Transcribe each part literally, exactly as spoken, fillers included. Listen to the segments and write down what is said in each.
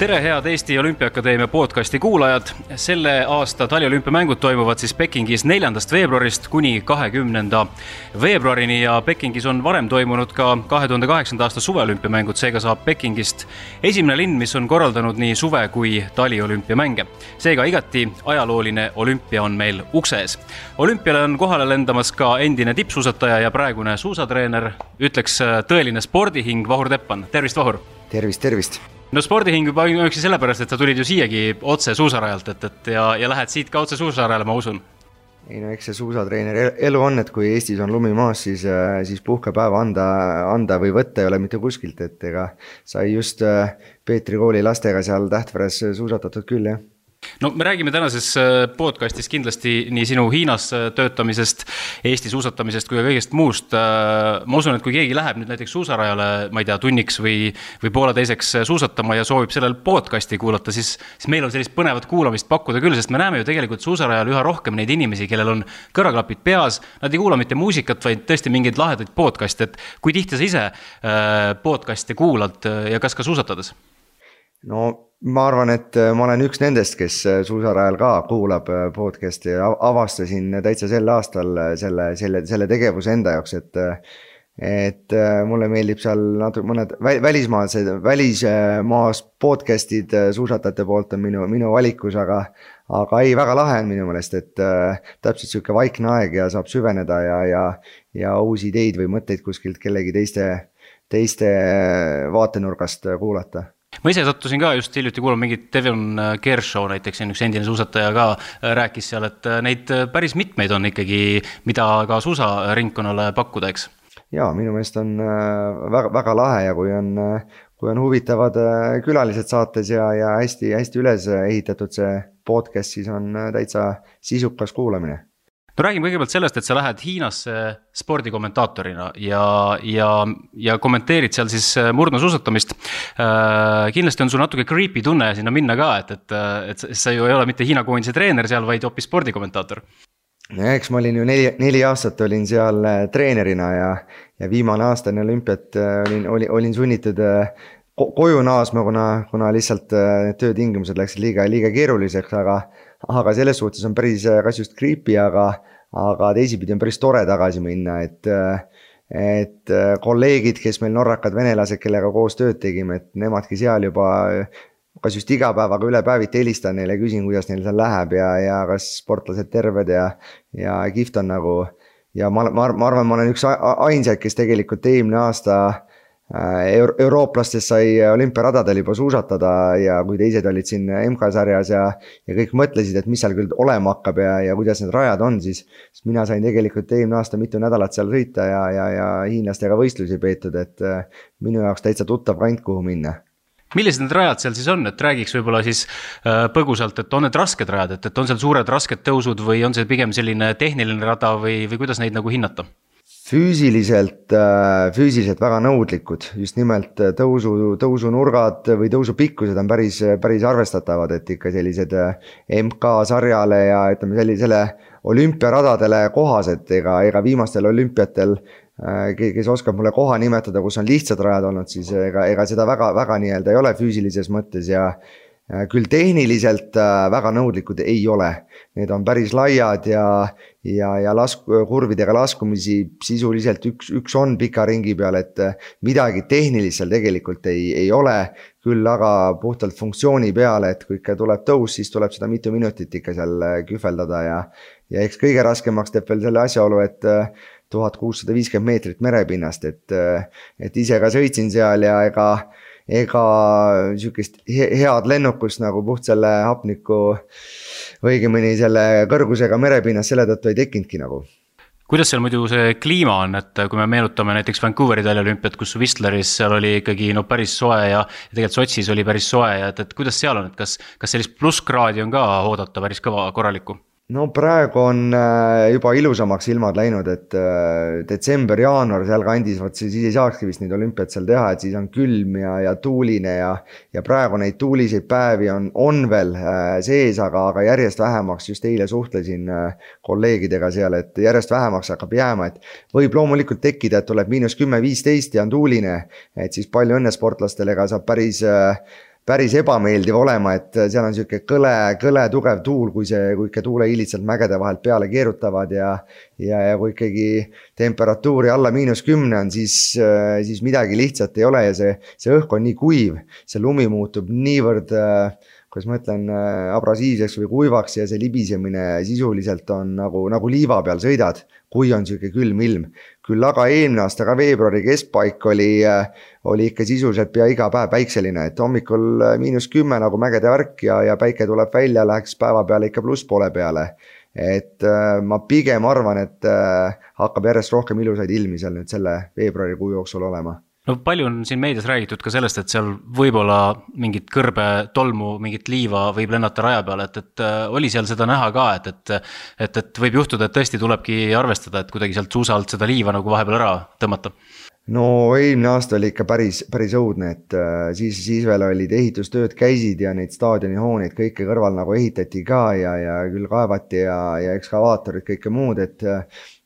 Tere head Eesti Olümpiaakadeemia podcasti kuulajad. Selle aasta taliolümpiamängud toimuvad siis Pekingis neljandast veebruarist kuni kahekümnenda veebruarini ja Pekingis on varem toimunud ka kahe tuhande kaheksanda aasta suveolümpiamängud, seega saab Pekingist esimene linn, mis on korraldanud nii suve kui taliolümpiamänge. Seega igati ajalooline olümpia on meil ukses. Olümpiale on kohale lendamas ka endine tippsuusataja ja praegune suusatreener, ütleks tõeline spordihing Vahur Teppan. Tervist, Vahur! Tervist, tervist! No spordihing juba üksi sellepärast, et sa tulid ju siiagi otse suusarajalt et, et, ja, ja lähed siit ka otse suusarajale, ma usun. Ei no eks see suusatreener elu on, et kui Eestis on lumi maas, siis, siis puhkepäeva anda, anda või võtta ei ole mitte kuskilt, et ega sai just Peetri kooli lastega seal Tähtveres suusatatud küll, jah. No me räägime tänases podcastis kindlasti nii sinu Hiinas töötamisest, Eesti suusatamisest kui ka kõigest muust. Ma usun, et kui keegi läheb nüüd näiteks suusarajale, ma ei tea, tunniks või, või poole teiseks suusatama ja soovib sellel podcasti kuulata, siis, siis meil on sellist põnevat kuulamist pakkuda küll, sest me näeme ju tegelikult suusarajal üha rohkem neid inimesi, kellel on kõrvaklapid peas, nad ei kuula mitte muusikat, vaid tõesti mingeid lahedaid podcast, et kui tihti sa ise podcasti kuulad ja kas ka suusatades? No ma arvan, et ma olen üks nendest, kes suusarajal ka kuulab podcasti ja avastasin täitsa sel aastal selle, selle, selle tegevuse enda jaoks, et, et mulle meeldib seal natuke mõned välismaased, välismaas podcastid suusatajate poolt on minu, minu valikus, aga, aga ei, väga lahe on minu meelest, et täpselt selline vaikne aeg ja saab süveneda ja, ja, ja uusi ideid või mõtteid kuskilt kellegi teiste, teiste vaatenurgast kuulata. Ma ise sattusin ka just hiljuti kuulama mingit Devon Kershaw näiteks, üks endine suusataja ka rääkis seal, et neid päris mitmeid on ikkagi, mida ka suusaringkonnale pakkuda, eks? Jaa, minu meelest on väga, väga lahe ja kui on, kui on huvitavad külalised saates ja, ja hästi, hästi üles ehitatud see podcast, siis on täitsa sisukas kuulamine. No räägime kõigepealt sellest, et sa lähed Hiinasse spordikommentaatorina ja, ja, ja kommenteerid seal siis murdma suusatamist. Äh, kindlasti on sul natuke creepy tunne sinna minna ka, et, et, et sa ju ei ole mitte Hiina koondise treener seal, vaid hoopis spordikommentaator. Ja eks ma olin ju neli, neli aastat olin seal treenerina ja, ja viimane aastane olümpiat olin, olin, olin sunnitud koju naasma, kuna, kuna lihtsalt töötingimused läksid liiga, liiga keeruliseks, aga aga selles suhtes on päris kas just creepy, aga, aga teisipidi on päris tore tagasi minna, et, et kolleegid, kes meil norrakad venelased, kellega koos tööd tegime, et nemadki seal juba kas just igapäevaga üle päeviti helistan neile, küsin, kuidas neil seal läheb ja, ja kas sportlased terved ja, ja kihvt on nagu ja ma, ma, ma arvan, ma olen üks ainsaid, kes tegelikult eelmine aasta Euro- eurooplastest sai olümpiaradadel juba suusatada ja kui teised olid siin M K-sarjas ja, ja kõik mõtlesid, et mis seal küll olema hakkab ja, ja kuidas need rajad on, siis, siis mina sain tegelikult eelmine aasta mitu nädalat seal sõita ja, ja, ja hiinlastega võistlusi peetud, et minu jaoks täitsa tuttav kant, kuhu minna. Millised need rajad seal siis on, et räägiks võib-olla siis põgusalt, et on need rasked rajad, et, et on seal suured rasked tõusud või on see pigem selline tehniline rada või, või kuidas neid nagu hinnata? Füüsiliselt, füüsiliselt väga nõudlikud, just nimelt tõusu, tõusunurgad või tõusupikkused on päris, päris arvestatavad, et ikka sellised M K-sarjale ja ütleme sellisele olümpiaradadele kohased, ega, ega viimastel olümpiatel, kes oskab mulle koha nimetada, kus on lihtsad rajad olnud, siis ega, ega seda väga, väga nii-öelda ei ole füüsilises mõttes ja küll tehniliselt väga nõudlikud ei ole. Need on päris laiad ja, ja, ja lask, kurvidega laskumisi sisuliselt üks, üks on pika ringi peal, et midagi tehnilist seal tegelikult ei, ei ole, küll aga puhtalt funktsiooni peale, et kui ikka tuleb tõus, siis tuleb seda mitu minutit ikka seal kühveldada ja, ja eks kõige raskemaks teeb veel selle asjaolu, et tuhat kuussada viiskümmend meetrit merepinnast, et, et ise ka sõitsin seal ja ega ega sükest head lennukust nagu puht selle hapniku õigemini selle kõrgusega merepinnast selle tõttu ei tekinudki nagu. Kuidas seal muidu see kliima on, et kui me meenutame näiteks Vancouveri taliolümpiat, kus Whistleris seal oli ikkagi no päris soe ja, ja tegelikult Sotšis oli päris soe ja et, et kuidas seal on, et kas, kas sellist plusskraadi on ka oodata päris kõva korralikku? No praegu on juba ilusamaks ilmad läinud, et detsember, jaanuar seal kandis, võt siis ei saakski vist neid olümpiat seal teha, et siis on külm ja, ja tuuline ja, ja praegu neid tuuliseid päevi on, on veel sees, aga, aga järjest vähemaks, just eile suhtlesin kolleegidega seal, et järjest vähemaks hakkab jääma, et võib loomulikult tekkida, et tuleb miinus kümme viisteist ja on tuuline, et siis palju õnne sportlastele, ega saab päris päris ebameeldiv olema, et seal on siuke kõle, kõle tugev tuul, kui see, kui ikka tuuleiilid sealt mägede vahelt peale keerutavad ja, ja, ja kui ikkagi temperatuuri alla miinus kümne on, siis, siis midagi lihtsalt ei ole ja see, see õhk on nii kuiv, see lumi muutub niivõrd, kuidas ma ütlen, abrasiivseks või kuivaks ja see libisemine sisuliselt on nagu, nagu liiva peal sõidad, kui on siuke külm ilm. Küll aga eelmine aasta ka veebruari keskpaik oli, oli ikka sisuliselt pea iga päev päikseline, et hommikul miinus kümme nagu mägede värk ja, ja päike tuleb välja, läheks päeva peale ikka pluss poole peale. Et ma pigem arvan, et hakkab järjest rohkem ilusaid ilmi seal nüüd selle veebruari kuu jooksul olema. No palju on siin meedias räägitud ka sellest, et seal võib-olla mingit kõrbe tolmu, mingit liiva võib lennata raja peale, et, et oli seal seda näha ka, et, et, et, et võib juhtuda, et tõesti tulebki arvestada, et kuidagi sealt suusalt seda liiva nagu vahepeal ära tõmmata. No eelmine aasta oli ikka päris, päris õudne, et siis, siis veel olid ehitustööd käisid ja neid staadioni hooneid kõike kõrval nagu ehitati ka ja, ja küll kaevati ja, ja ekskavaatorid kõike muud, et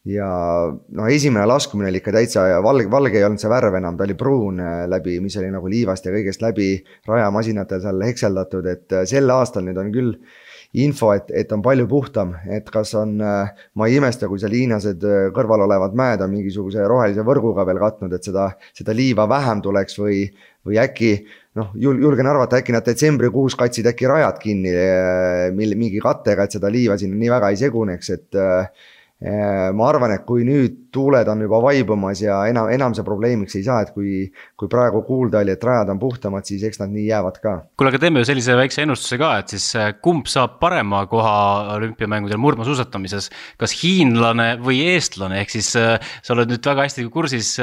ja no esimene laskumine oli ikka täitsa valge, valge ei olnud see värv enam, ta oli pruun läbi, mis oli nagu liivast ja kõigest läbi rajamasinate seal hekseldatud, et sel aastal nüüd on küll info, et, et on palju puhtam, et kas on, ma ei imesta, kui seal hiinased kõrval olevad mäed on mingisuguse rohelise võrguga veel katnud, et seda, seda liiva vähem tuleks või, või äkki, noh, julgen arvata, äkki nad detsembrikuus katsid äkki rajad kinni mingi kattega, et seda liiva sinna nii väga ei seguneks, et ma arvan, et kui nüüd tuuled on juba vaibumas ja enam, enam see probleemiks ei saa, et kui, kui praegu kuulda oli, et rajad on puhtamad, siis eks nad nii jäävad ka. Kuule, aga teeme ju sellise väikse ennustuse ka, et siis kumb saab parema koha olümpiamängudel murdmaasuusatamises, kas hiinlane või eestlane, ehk siis sa oled nüüd väga hästi kursis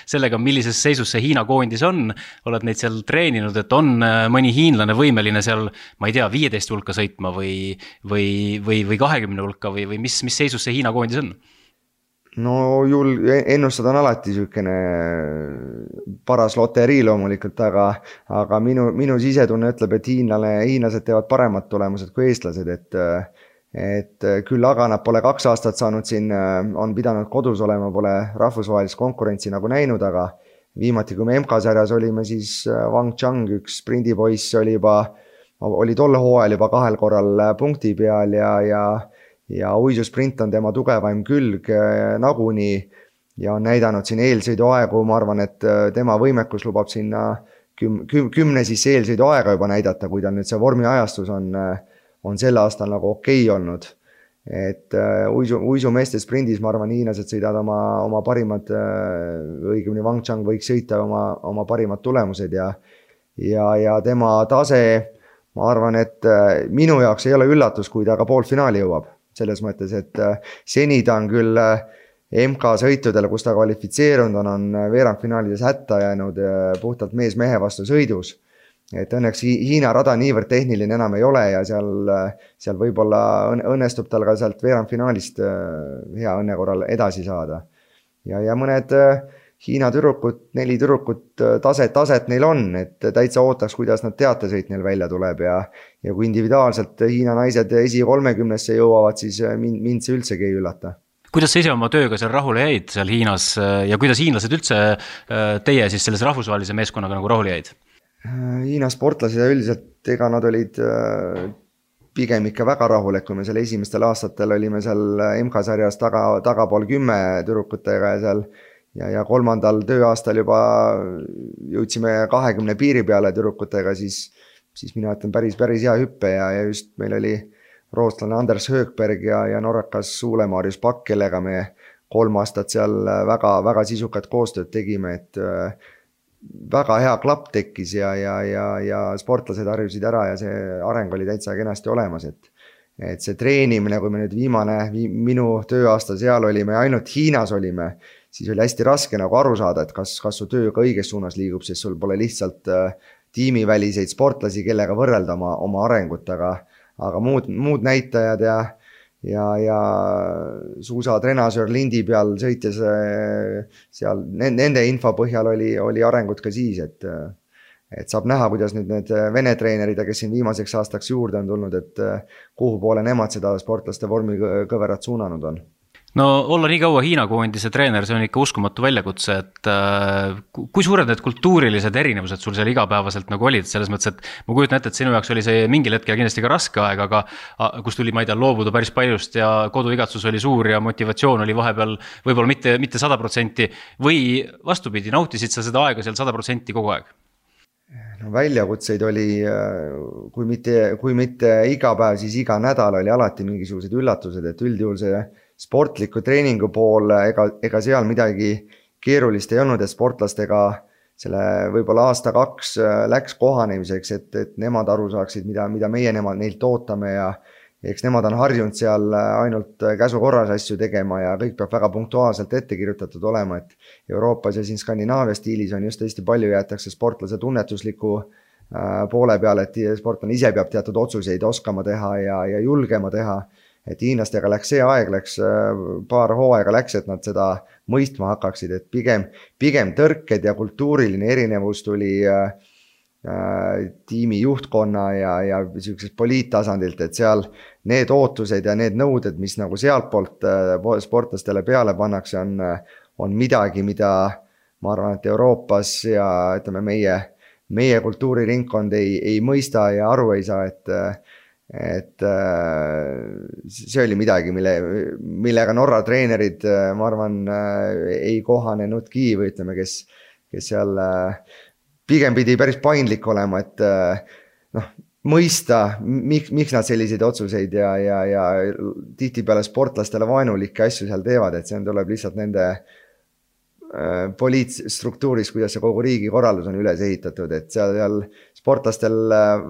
sellega, millises seisus see Hiina koondis on, oled neid seal treeninud, et on mõni hiinlane võimeline seal, ma ei tea, viieteist hulka sõitma või, või, või, või kahekümne hulka või, või mis, mis seisus see Hiina koondis on? No jul, ennustada on alati sükene paras loterii loomulikult, aga, aga minu, minu sisetunne ütleb, et hiinlane, hiinlased teevad paremad tulemused kui eestlased, et, et küll aga nad pole kaks aastat saanud siin, on pidanud kodus olema, pole rahvusvahelist konkurentsi nagu näinud, aga viimati, kui me M K-sarjas olime, siis Wang Chang, üks sprindipoiss, oli juba, oli tolle hooajal juba kahel korral punkti peal ja, ja ja uisusprint on tema tugevaim külg nagunii ja on näidanud siin eelsõiduaegu, ma arvan, et tema võimekus lubab sinna küm, küm, kümne siis eelsõiduaega juba näidata, kui tal nüüd see vormiajastus on, on sel aastal nagu okei olnud. Et uisu, uisumeeste sprindis, ma arvan, hiinlased sõidavad oma, oma parimad, õigemini Wang Chang võiks sõita oma, oma parimad tulemused ja, ja, ja tema tase, ma arvan, et minu jaoks ei ole üllatus, kui ta ka poolfinaali jõuab. Selles mõttes, et seni ta on küll M K-sõitudel, kus ta kvalifitseerunud on, on veerandfinaalides hätta jäänud puhtalt mees-mehe vastu sõidus. Et õnneks Hiina rada niivõrd tehniline enam ei ole ja seal, seal võib-olla õnnestub tal ka sealt veerandfinaalist hea õnne korral edasi saada. Ja, ja mõned Hiina tüdrukut, neli tüdrukut taset, taset neil on, et täitsa ootaks, kuidas nad teatesõit neil välja tuleb ja, ja kui individuaalselt Hiina naised esi kolmekümnesse jõuavad, siis mind, mind see üldsegi ei üllata. Kuidas sa ise oma tööga seal rahule jäid seal Hiinas ja kuidas hiinlased üldse teie siis selles rahvusvahelise meeskonnaga nagu rahule jäid? Hiina sportlased üldiselt, ega nad olid pigem ikka väga rahul, et kui me seal esimestel aastatel olime seal M K-sarjas taga, tagapool kümme tüdrukutega ja seal Ja, ja kolmandal tööaastal juba jõudsime kahekümne piiri peale tüdrukutega, siis, siis mina ütlen päris, päris hea hüppe ja, ja just meil oli rootslane Anders Högberg ja, ja norrakas Suule-Marius Pakk, kellega me kolm aastat seal väga, väga sisukat koostööd tegime, et väga hea klapp tekkis ja, ja, ja, ja sportlased harjusid ära ja see areng oli täitsa kenasti olemas, et et see treenimine, kui me nüüd viimane, minu tööaasta seal olime, ainult Hiinas olime, siis oli hästi raske nagu aru saada, et kas, kas su töö ka õiges suunas liigub, sest sul pole lihtsalt tiimiväliseid sportlasi, kellega võrrelda oma, oma arengut, aga, aga muud, muud näitajad ja, ja, ja suusa trenasöör lindi peal sõites seal, nende info põhjal oli, oli arengut ka siis, et et saab näha, kuidas nüüd need Vene treenerid, kes siin viimaseks aastaks juurde on tulnud, et kuhu poole nemad seda sportlaste vormi kõverat suunanud on. no olla nii kaua Hiina koondise treener, see on ikka uskumatu väljakutse, et äh, kui suured need kultuurilised erinevused sul seal igapäevaselt nagu olid, selles mõttes, et ma kujutan ette, et sinu jaoks oli see mingil hetkel kindlasti ka raske aeg, aga kus tuli, ma ei tea, loobuda päris paljust ja koduigatsus oli suur ja motivatsioon oli vahepeal võib-olla mitte, mitte sada protsenti või vastupidi, nautisid sa seda aega seal sada protsenti kogu aeg? No väljakutseid oli, kui mitte, kui mitte iga päev, siis iga nädal oli alati mingisugused üllatused, et üldjuhul see sportliku treeningu pool, ega, ega seal midagi keerulist ei olnud, et sportlastega selle võib-olla aasta kaks läks kohanemiseks, et, et nemad aru saaksid, mida, mida meie nemad neilt ootame ja eks nemad on harjunud seal ainult käsu korras asju tegema ja kõik peab väga punktuaalselt ette kirjutatud olema, et Euroopas ja siin Skandinaavia stiilis on just hästi palju jäetakse sportlase tunnetusliku poole peale, et sportlane ise peab teatud otsuseid oskama teha ja, ja julgema teha. Et hiinlastega läks see aeg, läks paar hooaega läks, et nad seda mõistma hakkaksid, et pigem, pigem tõrked ja kultuuriline erinevus tuli äh, tiimi juhtkonna ja, ja sellisest poliittasandilt, et seal need ootused ja need nõuded, mis nagu sealt poolt sportlastele peale pannakse, on, on midagi, mida ma arvan, et Euroopas ja ütleme, meie, meie kultuuriringkond ei, ei mõista ja aru ei saa, et et see oli midagi, mille, millega Norra treenerid, ma arvan, ei kohanenudki või ütleme, kes, kes seal pigem pidi päris paindlik olema, et noh, mõista, miks, miks nad selliseid otsuseid ja, ja, ja tihtipeale sportlastele vaenulikke asju seal teevad, et see tuleb lihtsalt nende poliitstruktuuris, kuidas see kogu riigi korraldus on üles ehitatud, et seal, seal sportlastel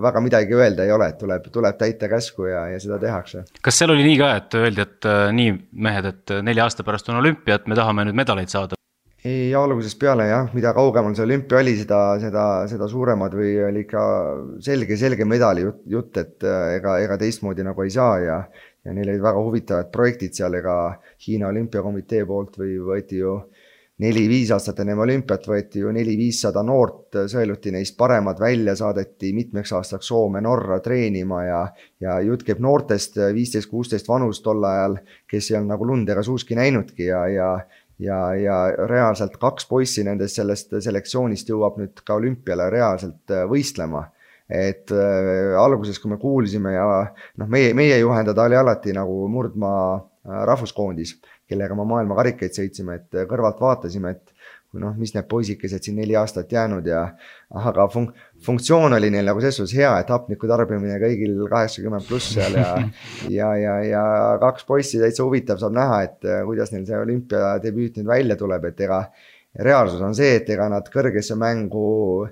väga midagi öelda ei ole, et tuleb, tuleb täita käsku ja, ja seda tehakse. Kas seal oli nii ka, et öeldi, et nii mehed, et nelja aasta pärast on olümpia, et me tahame nüüd medaleid saada? Ei, algusest peale jah, mida kaugemal see olümpia oli, seda, seda, seda suuremad või oli ikka selge, selge medali jutt, jutt et ega, ega teistmoodi nagu ei saa ja, ja neil olid väga huvitavad projektid seal, ega Hiina olümpiakomitee poolt või võeti ju neli-viis aastat enne olümpiat võeti ju neli-viissada noort, sõeluti neist paremad välja, saadeti mitmeks aastaks Soome Norra treenima ja, ja jutt käib noortest viisteist kuusteist vanust tol ajal, kes ei olnud nagu lund ega suuski näinudki ja, ja, ja, ja reaalselt kaks poissi nendest sellest selektsioonist jõuab nüüd ka olümpiale reaalselt võistlema. Et äh, alguses, kui me kuulsime ja noh, meie, meie juhendada oli alati nagu Murdmaa rahvuskoondis, kellega ma maailma karikaid sõitsime, et kõrvalt vaatasime, et noh, mis need poisikesed siin neli aastat jäänud ja aga fun- funktsioon oli neil nagu selles hea, et hapniku tarbimine kõigil kaheksakümmend pluss seal ja, ja, ja, ja kaks poissi täitsa huvitav saab näha, et kuidas neil see olümpiadebüüt nüüd välja tuleb, et ega reaalsus on see, et ega nad kõrgesse mängu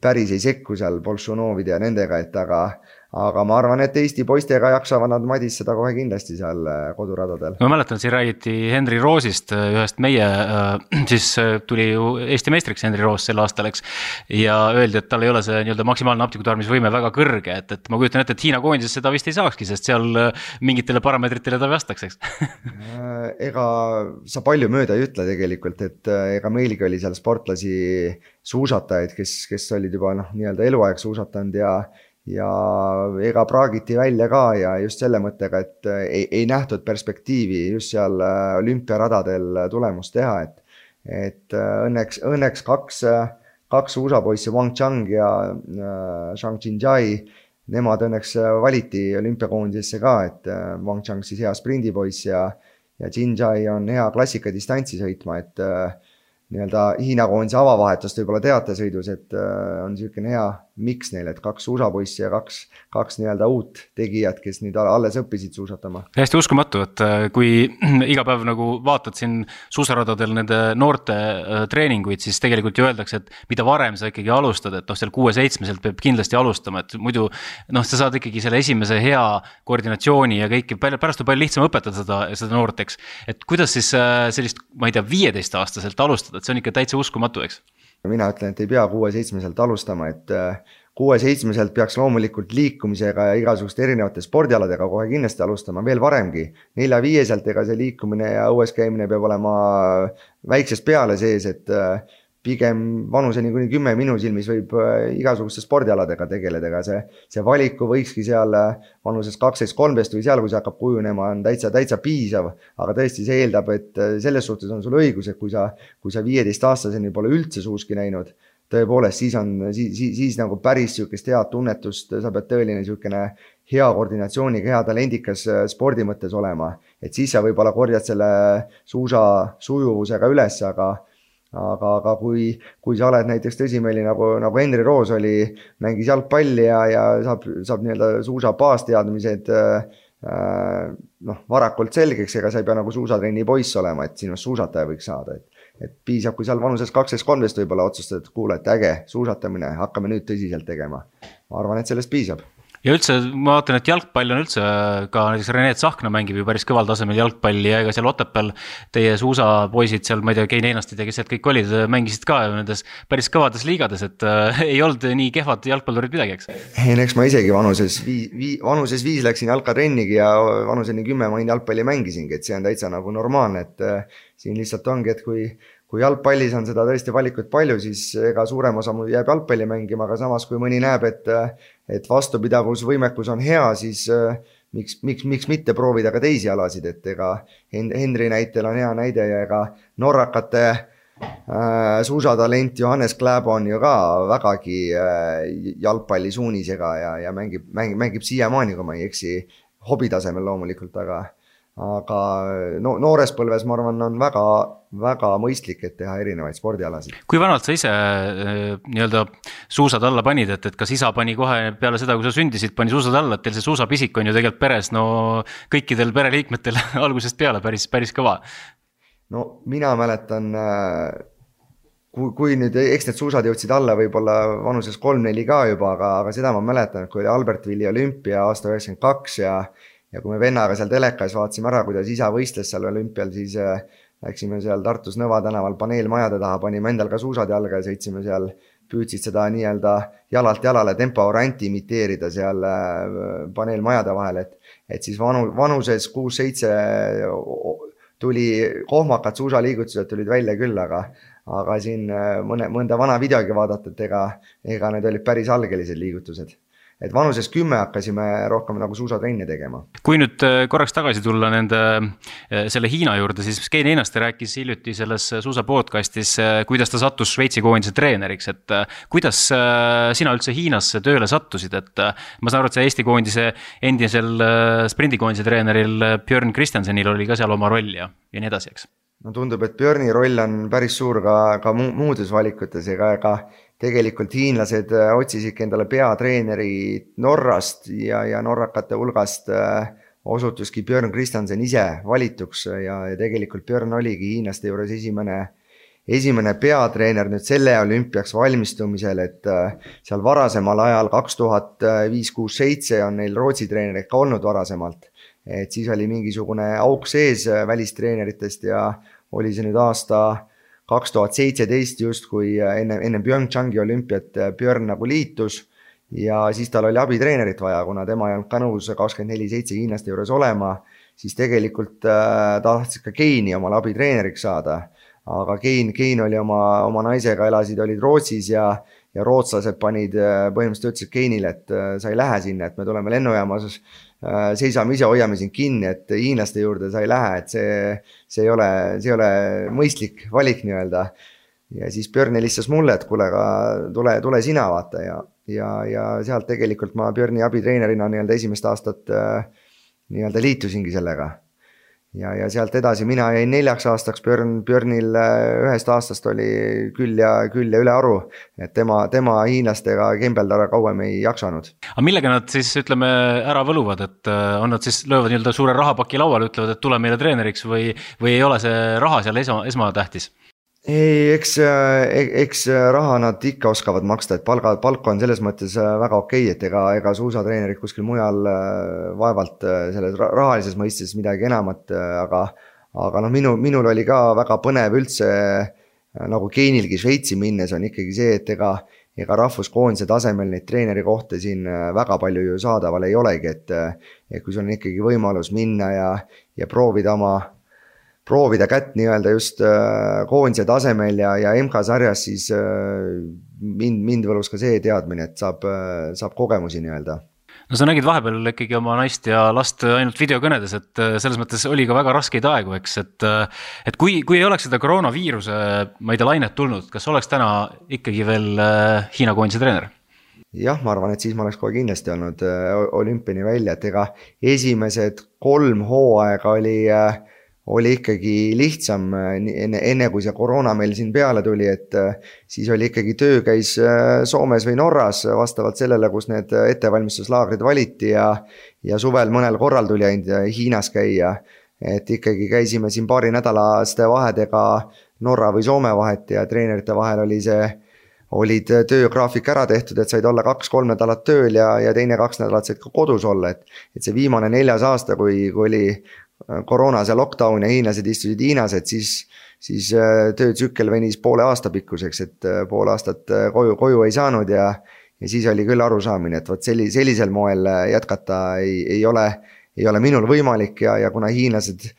päris ei sekku seal Bolšunovide ja nendega, et aga Aga ma arvan, et Eesti poistega jaksavad nad madisseda kohe kindlasti seal koduradadel. Ma mäletan, siin räägiti Henri Roosist, ühest meie, siis tuli ju Eesti meistriks Henri Roos sel aastal, eks, ja öeldi, et tal ei ole see nii-öelda maksimaalne hapnikutarbimisvõime väga kõrge, et, et ma kujutan ette, et Hiina koondises seda vist ei saakski, sest seal mingitele parameetritele ta vastaks, eks? Ega sa palju mööda ei ütle tegelikult, et ega meilgi oli seal sportlasi suusatajaid, kes, kes olid juba noh, nii-öelda eluaeg suusatanud ja ja ega praagiti välja ka ja just selle mõttega, et ei, ei nähtud perspektiivi just seal olümpiaradadel tulemust teha, et, et õnneks, õnneks kaks, kaks U S A poissi, Wang Chang ja Zhang Jinjai, nemad õnneks valiti olümpiakoondisesse ka, et Wang Chang siis hea sprindipoiss ja, ja Jinjai on hea klassikadistantsi sõitma, et nii-öelda Hiina koondise avavahetust võib-olla teatesõidus, et on niisugune hea miks neil, et kaks U S A poissi ja kaks, kaks nii-öelda uut tegijat, kes nüüd alles õppisid suusatama. Hästi uskumatu, et kui iga päev nagu vaatad siin suusaradadel nende noorte treeninguid, siis tegelikult ju öeldakse, et mida varem sa ikkagi alustad, et noh, seal kuue-seitsmeselt peab kindlasti alustama, et muidu noh, sa saad ikkagi selle esimese hea koordinatsiooni ja kõiki, pärast on palju lihtsam õpetada seda, seda noorteks. Et kuidas siis sellist, ma ei tea, viieteist aastaselt alustada, et see on ikka täitsa uskumatu, eks? Mina ütlen, et ei pea kuue-seitsmeselt alustama, et kuue-seitsmeselt peaks loomulikult liikumisega ja igasuguste erinevate spordialadega kohe kindlasti alustama veel varemgi. nelja-viieselt ega see liikumine ja õues käimine peab olema väiksest peale sees, et pigem vanuseni kuni kümme minu silmis võib igasuguste spordialadega tegeleda, aga see, see valiku võikski seal vanuses kaksteist kolmteist või seal, kui see hakkab kujunema, on täitsa, täitsa piisav, aga tõesti see eeldab, et selles suhtes on sul õigus, et kui sa, kui sa viieteist aastaseni pole üldse suuski näinud, tõepoolest, siis on, siis, siis, siis nagu päris sükest head tunnetust, sa pead tõeline sükene hea koordinatsiooniga, hea talendikas spordi mõttes olema, et siis sa võib-olla korjad selle suusa sujuvusega üles, aga aga, aga kui, kui sa oled näiteks tõsimeeli nagu, nagu Henri Roos oli, mängis jalgpalli ja, ja saab, saab nii-öelda suusa baasteadmised äh, noh, varakult selgeks, ega sa ei pea nagu suusatrenni poiss olema, et sinust suusataja võiks saada, et, et piisab, kui seal vanuses kaksteist kolmteist võib-olla otsustad, et kuule, et äge, suusatamine, hakkame nüüd tõsiselt tegema. Ma arvan, et sellest piisab. Ja üldse, ma vaatan, et jalgpall on üldse ka näiteks Rene Tsahkna mängib ju päris kõval tasemel jalgpalli ja ega seal Otepääl teie suusapoisid seal, ma ei tea, Kein Einastid ja kes sealt kõik olid, mängisid ka nendes päris kõvades liigades, et äh, ei olnud nii kehvad jalgpallurid midagi, eks? Ei, eks ma isegi vanuses, vii, vii, vanuses viis läksin jalkatrennigi ja vanuseni kümme ma jalgpalli mängisingi, et see on täitsa nagu normaalne, et äh, siin lihtsalt ongi, et kui Kui jalgpallis on seda tõesti valikut palju, siis ega suurem osa mul jääb jalgpalli mängima, aga samas kui mõni näeb, et, et vastupidavusvõimekus on hea, siis miks, miks, miks mitte proovida ka teisi alasid, et ega Henri näitel on hea näide ja ega norrakate äh, suusatalent Johannes Kläbo on ju ka vägagi äh, jalgpalli suunisega ja, ja mängib, mängib, mängib siiamaani, kui ma ei eksi, hobitasemel loomulikult, aga aga no, noores põlves, ma arvan, on väga, väga mõistlik, et teha erinevaid spordialasid. Kui vanalt sa ise nii-öelda suusad alla panid, et, et kas isa pani kohe peale seda, kui sa sündisid, pani suusad alla, et teil see suusapisik on ju tegelikult peres, no kõikidel pereliikmetel algusest peale päris, päris kõva? No mina mäletan, kui, kui nüüd, eks need suusad jõudsid alla võib-olla vanuses kolm neli ka juba, aga, aga seda ma mäletan, kui oli Albertvilli olümpia aasta üheksakümmend kaks ja Ja kui me vennaga seal telekas vaatasime ära, kuidas isa võistles seal olümpial, siis äh, läksime seal Tartus Nõva tänaval paneelmajade taha, panime endal ka suusad jalga ja sõitsime seal, püüdsid seda nii-öelda jalalt jalale tempo-oranti imiteerida seal äh, paneelmajade vahel, et, et siis vanu, vanuses kuus seitse tuli kohmakad suusaliigutused tulid välja küll, aga, aga siin mõne, mõnda vana videogi vaadata, et ega, ega need olid päris algelised liigutused. Et vanuses kümme hakkasime rohkem nagu suusatrenne tegema. Kui nüüd korraks tagasi tulla nende, selle Hiina juurde, siis Kein Einaste rääkis hiljuti selles suusa podcastis, kuidas ta sattus Šveitsi koondise treeneriks, et kuidas sina üldse Hiinasse tööle sattusid, et ma saan aru, et see Eesti koondise endisel sprindikoondise treeneril Björn Kristjansenil oli ka seal oma roll ja, ja nii edasi, eks? No tundub, et Björni roll on päris suur ka, ka muudes valikutes ega ka tegelikult hiinlased otsisidki endale peatreeneri Norrast ja, ja norrakate hulgast osutuski Björn Kristjansen ise valituks ja, ja tegelikult Björn oligi hiinlaste juures esimene, esimene peatreener nüüd selle olümpiaks valmistumisel, et seal varasemal ajal kaks tuhat viis kuus seitse on neil Rootsi treenerid ka olnud varasemalt, et siis oli mingisugune auk sees välistreeneritest ja oli see nüüd aasta kaks tuhat seitseteist just, kui enne, enne Pyeongchangi olümpiat Björn nagu liitus ja siis tal oli abitreenerit vaja, kuna tema ei olnud ka nõus kakskümmend neli seitse hiinlaste juures olema, siis tegelikult äh, tahtsid ka Keini omale abitreeneriks saada, aga Kein, Kein oli oma, oma naisega elasid, olid Rootsis ja, ja rootslased panid põhimõtteliselt ütlesid Keinile, et äh, sa ei lähe sinna, et me tuleme lennujaamas äh, seisame ise, hoiame sind kinni, et hiinlaste juurde sa ei lähe, et see see ei ole, see ei ole mõistlik valik nii-öelda. Ja siis Björn helistas mulle, et kuule, tule, tule sina vaata ja, ja, ja sealt tegelikult ma Björni abitreenerina nii-öelda esimest aastat nii-öelda liitusingi sellega. Ja, ja sealt edasi mina jäin neljaks aastaks, Björn, Björnil ühest aastast oli küll ja, küll ja üle aru, et tema, tema hiinlastega kembeldara kauem ei jaksanud. Aga millega nad siis, ütleme, ära võluvad, et on nad siis löövad nii-öelda suure rahapaki lauale, ütlevad, et tule meile treeneriks või, või ei ole see raha seal esma, esmatähtis? Ei, eks, eks raha nad ikka oskavad maksta, et palga, palk on selles mõttes väga okei, et ega, ega suusatreenerid kuskil mujal vaevalt selles rahalises mõistes midagi enamat, aga, aga no minu, minul oli ka väga põnev üldse, nagu Keinilgi Šveitsi minnes on ikkagi see, et ega, ega rahvuskoondise tasemel neid treeneri kohta siin väga palju ju saadaval ei olegi, et, et kui sul on ikkagi võimalus minna ja, ja proovida oma proovida kätt nii-öelda just koondise tasemel ja, ja M K-sarjas, siis mind, mind võlus ka see teadmine, et saab, saab kogemusi nii-öelda. No sa nägid vahepeal ikkagi oma naist ja last ainult videokõnedes, et selles mõttes oli ka väga raskeid aegu, eks, et, et kui, kui ei oleks seda koroonaviiruse, ma ei tea, lainet tulnud, kas oleks täna ikkagi veel Hiina koondise treener? Jah, ma arvan, et siis ma oleks kohe kindlasti olnud olümpiani välja, et ega esimesed kolm hooaega oli oli ikkagi lihtsam enne, enne kui see koroona meil siin peale tuli, et siis oli ikkagi töö käis Soomes või Norras vastavalt sellele, kus need ettevalmistuslaagrid valiti ja, ja suvel mõnel korral tuli ainult Hiinas käia, et ikkagi käisime siin paari nädalaste vahedega Norra või Soome vahet ja treenerite vahel oli see, olid töögraafik ära tehtud, et said olla kaks-kolm nädalat tööl ja, ja teine kaks nädalat said ka kodus olla, et, et see viimane neljas aasta, kui, kui oli koroona see lockdown ja hiinlased istusid Hiinas, et siis, siis töötsükkel venis poole aasta pikkuseks, et pool aastat koju, koju ei saanud ja, ja siis oli küll arusaamine, et võt selli, sellisel moel jätkata ei, ei, ole, ei ole minul võimalik ja, ja kuna hiinlased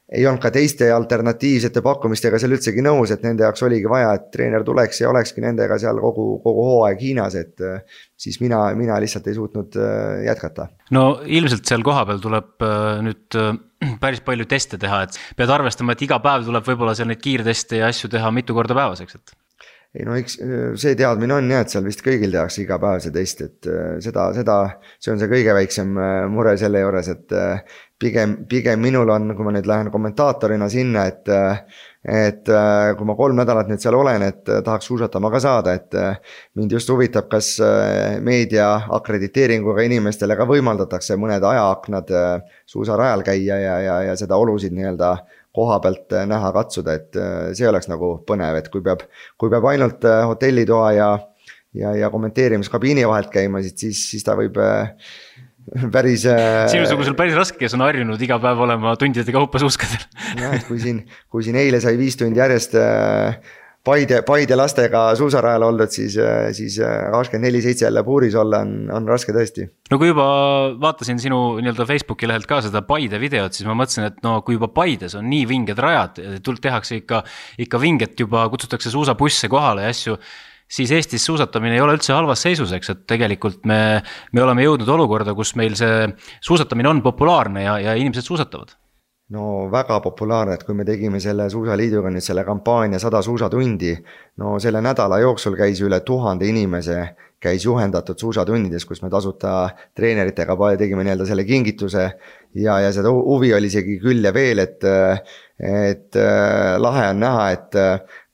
ei olnud ka teiste alternatiivsete pakkumistega seal üldsegi nõus, et nende jaoks oligi vaja, et treener tuleks ja olekski nendega seal kogu, kogu hooaeg Hiinas, et siis mina, mina lihtsalt ei suutnud jätkata. No ilmselt seal kohapeal tuleb nüüd päris palju teste teha, et pead arvestama, et iga päev tuleb võib-olla seal neid kiirteste ja asju teha mitu korda päevaseks, et ei no eks see teadmine on jah, et seal vist kõigil tehakse iga päev see test, et seda, seda, see on see kõige väiksem mure selle juures, et pigem, pigem minul on, kui ma nüüd lähen kommentaatorina sinna, et, et kui ma kolm nädalat nüüd seal olen, et tahaks suusatama ka saada, et mind just huvitab, kas meedia akrediteeringuga inimestele ka võimaldatakse mõned ajaaknad suusarajal käia ja, ja, ja seda olusid nii-öelda koha pealt näha katsuda, et see oleks nagu põnev, et kui peab, kui peab ainult hotellitoa ja, ja, ja kommenteerimiskabiini vahelt käima, siis, siis ta võib päris... Sinusugusel päris raske, kes on harjunud iga päev olema tundide kaupa suuskadel. Ja, et kui siin, kui siin eile sai viis tundi järjest Paide, Paide lastega suusarajal oldud, siis, siis kakskümmend neli seitse jälle puuris olla on, on raske tõesti. No kui juba vaatasin sinu nii-öelda Facebooki lehelt ka seda Paide videot, siis ma mõtlesin, et no kui juba Paides on nii vinged rajad, tuld tehakse ikka, ikka vinget juba, kutsutakse suusabusse kohale ja asju, siis Eestis suusatamine ei ole üldse halvas seisuseks, et tegelikult me, me oleme jõudnud olukorda, kus meil see suusatamine on populaarne ja, ja inimesed suusatavad. No väga populaarne, et kui me tegime selle suusaliiduga nüüd selle kampaania sada suusatundi, no selle nädala jooksul käis üle tuhande inimese, käis juhendatud suusatundides, kus me tasuta treeneritega tegime nii-öelda selle kingituse ja, ja seda huvi oli isegi küll ja veel, et, et lahe on näha, et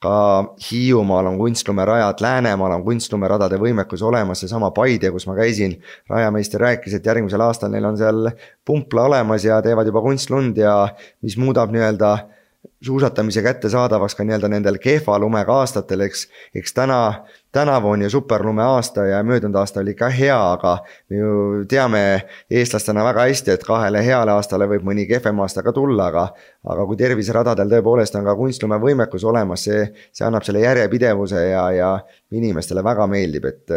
ka Hiiumaal on kunstlumerajad, Läänemaal on kunstlumeradade võimekus olemas, see sama Paide, kus ma käisin, rajameister rääkis, et järgmisel aastal neil on seal pumpla olemas ja teevad juba kunstlund ja mis muudab nii-öelda suusatamise kätte saadavaks ka nii-öelda nendel kehva lumega aastatel, eks, eks täna, tänavu on ju superlume aasta ja möödunud aasta oli ka hea, aga me ju teame eestlastena väga hästi, et kahele heale aastale võib mõni kehvem aasta ka tulla, aga, aga kui terviseradadel tõepoolest on ka kunstlume võimekus olemas, see, see annab selle järjepidevuse ja, ja inimestele väga meeldib, et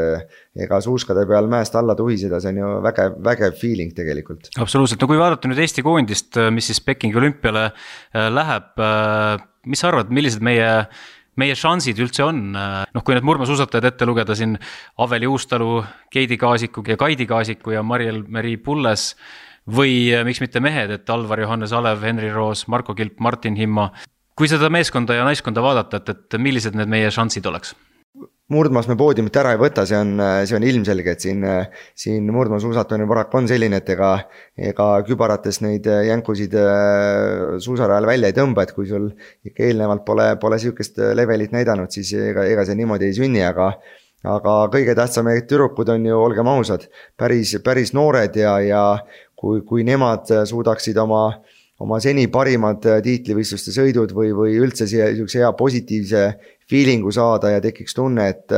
ega suuskade peal mäest alla tuhiseda, see on ju vägev, vägev feeling tegelikult. Absoluutselt, no kui vaadata nüüd Eesti koondist, mis siis Pekingi olümpiale läheb, mis sa arvad, millised meie meie šansid üldse on, noh kui need murmasuusatajad ette lugeda siin Aveli Uustalu, Keidi Kaasiku ja Kaidi Kaasiku ja Mariel-Meri Pulles või miks mitte mehed, et Alvar Johannes Alev, Henri Roos, Marko Kilp, Martin Himma. Kui seda meeskonda ja naiskonda vaadata, et, et millised need meie šansid oleks? Murdmaas me poodiumit ära ei võta, see on, see on ilmselge, et siin, siin murdmaasuusatamine parak on selline, et ega, ega kübarates neid jänkusid suusarajal välja ei tõmba, et kui sul ikka eelnevalt pole, pole sihukest levelit näidanud, siis ega, ega see niimoodi ei sünni, aga, aga kõige tähtsam, et tüdrukud on ju, olgem ausad, päris, päris noored ja, ja kui, kui nemad suudaksid oma oma seni parimad tiitlivõistluste sõidud või, või üldse siia hea positiivse feelingu saada ja tekiks tunne, et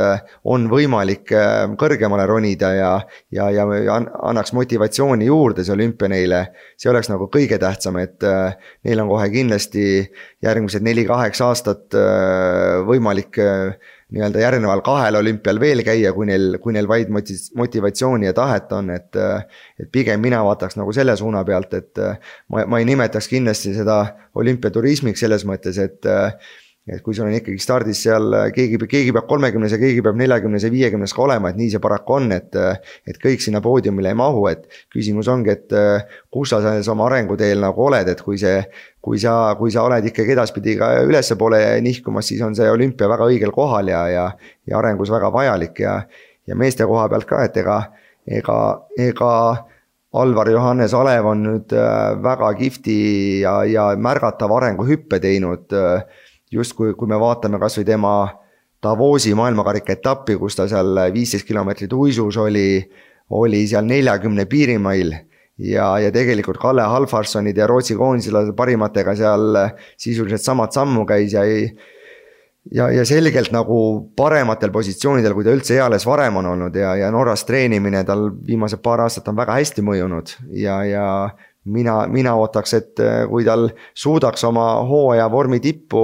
on võimalik kõrgemale ronida ja, ja, ja annaks motivatsiooni juurde see olümpia neile. See oleks nagu kõige tähtsam, et neil on kohe kindlasti järgmised neli kaheksa aastat võimalik nii-öelda järgneval kahel olümpial veel käia, kui neil, kui neil vaid motivatsiooni ja tahet on, et, et pigem mina vaataks nagu selle suuna pealt, et ma, ma ei nimetaks kindlasti seda olümpiaturismiks selles mõttes, et et kui sul on ikkagi stardis seal, keegi, keegi peab kolmekümnes ja keegi peab neljakümnes ja viiekümnes ka olema, et nii see paraku on, et, et kõik sinna poodiumile ei mahu, et küsimus ongi, et kus sa selles oma arenguteel nagu oled, et kui see, kui sa, kui sa oled ikkagi edaspidi ka ülesse poole nihkumas, siis on see olümpia väga õigel kohal ja, ja, ja arengus väga vajalik ja, ja meeste koha pealt ka, et ega, ega, ega Alvar Johannes Alev on nüüd väga kihvti ja, ja märgatav arenguhüppe teinud just kui, kui me vaatame kas või tema Davosi maailmakarika etappi, kus ta seal viisteist kilomeetrit uisus oli, oli seal neljakümne piirimail ja, ja tegelikult Kalle Halfarssonid ja Rootsi koondisele parimatega seal sisuliselt samad sammu käis ja, ja, ja selgelt nagu parematel positsioonidel, kui ta üldse eales varem on olnud ja, ja Norras treenimine tal viimased paar aastat on väga hästi mõjunud ja, ja Mina, mina ootaks, et kui tal suudaks oma hooaja vormi tippu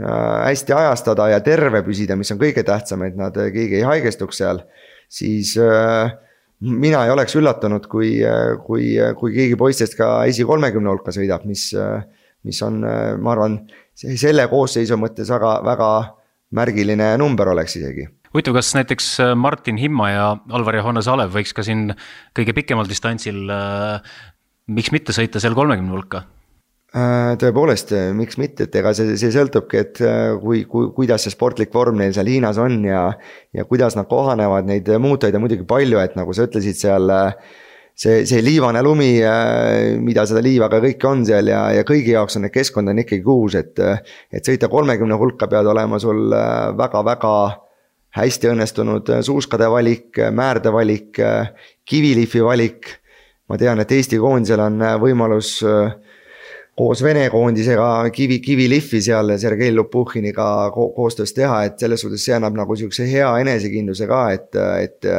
hästi ajastada ja terve püsida, mis on kõige tähtsam, et nad keegi ei haigestuks seal, siis mina ei oleks üllatunud, kui, kui, kui keegi poistest ka esi kolmekümne hulka sõidab, mis, mis on, ma arvan, selle koosseisu mõttes väga, väga märgiline number oleks isegi. Huvitav, kas näiteks Martin Himma ja Alvar Johannes Alev võiks ka siin kõige pikemal distantsil miks mitte sõita seal kolmekümne hulka? Tõepoolest, miks mitte, et ega see, see sõltubki, et kui, kui, kuidas see sportlik vorm neil seal Hiinas on ja, ja kuidas nad kohanevad, neid muutujaid on muidugi palju, et nagu sa ütlesid seal, see, see liivane lumi, mida seda liivaga kõik on seal ja, ja kõigi jaoks on need keskkond on ikkagi uus, et, et sõita kolmekümne hulka pead olema sul väga-väga hästi õnnestunud suuskade valik, määrde valik, kivilifi valik. Ma tean, et Eesti koondisel on võimalus koos Vene koondisega kivi, kiviliffi seal Sergei Lupuhhiniga ko- koostöös teha, et selles suhtes see annab nagu siukse hea enesekindluse ka, et, et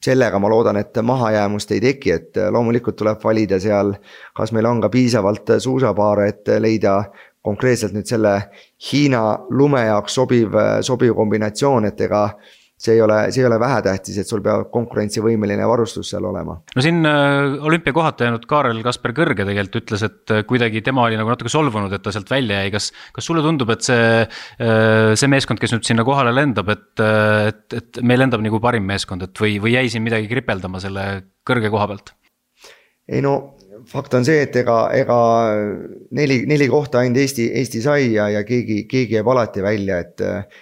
sellega ma loodan, et mahajäämust ei teki, et loomulikult tuleb valida seal, kas meil on ka piisavalt suusapaare, et leida konkreetselt nüüd selle Hiina lume jaoks sobiv, sobiv kombinatsioon, et ega see ei ole, see ei ole vähetähtis, et sul peab konkurentsivõimeline varustus seal olema. No siin olümpia kohata jäänud Kaarel Kasper Kõrge tegelikult ütles, et kuidagi tema oli nagu natuke solvunud, et ta sealt välja jäi. Kas, kas sulle tundub, et see, see meeskond, kes nüüd sinna kohale lendab, et, et, et meil lendab nagu parim meeskond, et või, või jäi siin midagi kripeldama selle Kõrge koha pealt? Ei no, fakt on see, et ega, ega neli, neli kohta ainult Eesti, Eesti sai ja, ja keegi, keegi jääb alati välja, et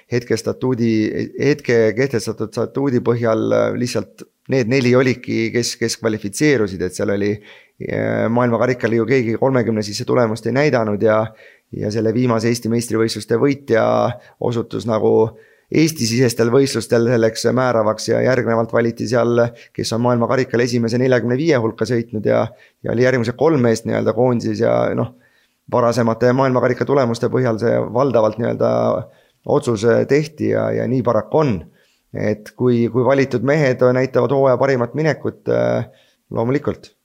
hetke statuudi, hetke kehtestatud statuudi põhjal lihtsalt need neli olidki, kes, kes kvalifitseerusid, et seal oli maailmakarikal ju keegi kolmekümne sisse tulemust ei näidanud ja, ja selle viimase Eesti meistrivõistluste võitja osutus nagu Eesti-sisestel võistlustel selleks määravaks ja järgnevalt valiti seal, kes on maailmakarikal esimese neljakümne viie hulka sõitnud ja, ja oli järgmise kolm meest nii-öelda koondises ja noh, varasemate maailmakarika tulemuste põhjal see valdavalt nii-öelda otsus tehti ja, ja nii paraku on. Et kui, kui valitud mehed näitavad hooaja parimat minekut, loomulikult,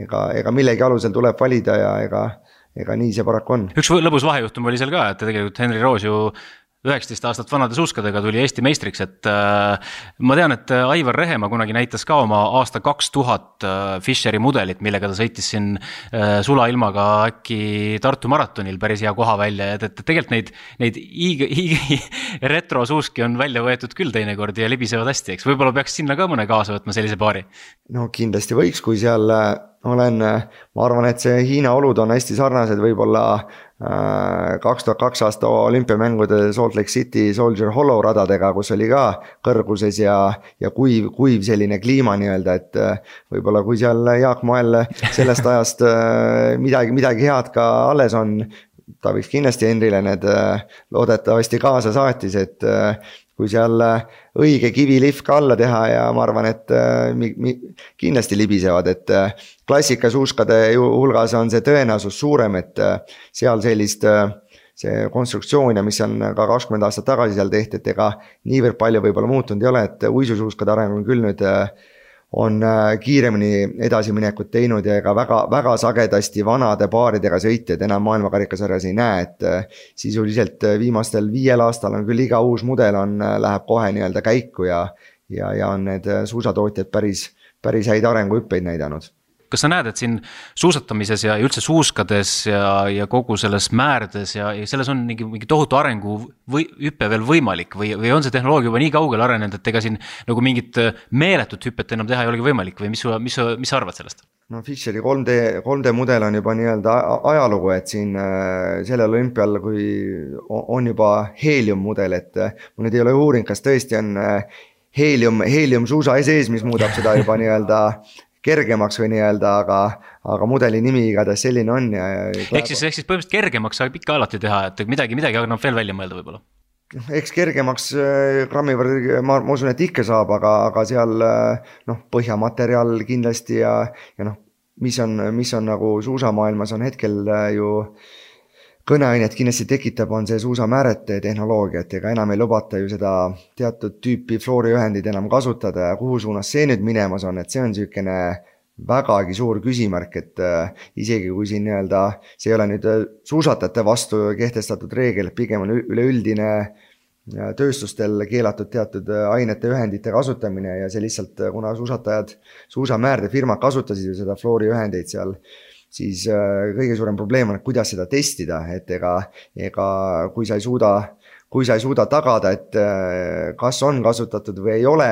ega, ega millegi alusel tuleb valida ja ega, ega nii see paraku on. Üks lõbus vahejuhtum oli seal ka, et tegelikult Henri Roos ju üheksateist aastat vanade suuskadega tuli Eesti meistriks, et äh, ma tean, et Aivar Rehemaa kunagi näitas ka oma aasta kaks tuhat äh, Fischeri mudelit, millega ta sõitis siin äh, sulailmaga äkki Tartu maratonil päris hea koha välja, et, et tegelikult neid, neid iigi, iigi retro suuski on välja võetud küll teinekord ja libisevad hästi, eks võib-olla peaks sinna ka mõne kaasa võtma sellise paari? No kindlasti võiks, kui seal olen, ma arvan, et see Hiina olud on hästi sarnased võib-olla kaks tuhat kaks aasta olümpiamängude Salt Lake City Soldier Hollow radadega, kus oli ka kõrguses ja, ja kuiv, kuiv selline kliima nii-öelda, et võib-olla kui seal Jaak Moel sellest ajast midagi, midagi head ka alles on, ta võiks kindlasti Henrile need loodetavasti kaasa saatis, et kui seal õige kivilihv ka alla teha ja ma arvan, et mi, mi, kindlasti libisevad, et klassikasuuskade hulgas on see tõenäosus suurem, et seal sellist, see konstruktsioon ja mis on ka kakskümmend aastat tagasi seal tehti, et ega niivõrd palju võib-olla muutunud ei ole, et uisusuuskade areng on küll nüüd on kiiremini edasiminekut teinud ja ega väga, väga sagedasti vanade paaridega sõitjad enam maailmakarikasarjas ei näe, et sisuliselt viimastel viiel aastal on küll iga uus mudel on, läheb kohe nii-öelda käiku ja, ja, ja on need suusatootjad päris, päris häid arenguhüppeid näidanud. Kas sa näed, et siin suusatamises ja üldse suuskades ja, ja kogu selles määrdes ja, ja selles on mingi, mingi tohutu arengu või hüppe veel võimalik või, või on see tehnoloogia juba nii kaugele arenenud, et ega siin nagu mingit meeletut hüppet enam teha ei olegi võimalik või mis, mis, mis sa arvad sellest? No Fischeri kolm D, kolm D mudel on juba nii-öelda ajalugu, et siin sellel olümpial, kui on juba heelium mudel, et ma nüüd ei ole uuring, kas tõesti on heelium, heelium suusa sees, mis muudab seda juba nii-öelda kergemaks või nii-öelda, aga, aga mudeli nimi igatahes selline on. Ja, ja ehk siis, ehk siis põhimõtteliselt kergemaks saab ikka alati teha, et midagi, midagi annab veel välja mõelda võib-olla. Eks kergemaks grammi võrra, ma, ma usun, et ikka saab, aga, aga seal noh, põhjamateriaal kindlasti ja, ja noh, mis on, mis on nagu suusamaailmas on hetkel ju kõneainet kindlasti tekitab, on see suusamäärete tehnoloogia, et ega enam ei lubata ju seda teatud tüüpi flooriühendid enam kasutada ja kuhu suunas see nüüd minemas on, et see on sükene vägagi suur küsimärk, et isegi kui siin nii-öelda, see ei ole nüüd suusatajate vastu kehtestatud reegel, pigem on üleüldine tööstustel keelatud teatud ainete ühendite kasutamine ja see lihtsalt, kuna suusatajad, suusamäärde firmad kasutasid ju seda flooriühendeid seal, siis kõige suurem probleem on, kuidas seda testida, et ega, ega kui sa ei suuda, kui sa ei suuda tagada, et kas on kasutatud või ei ole,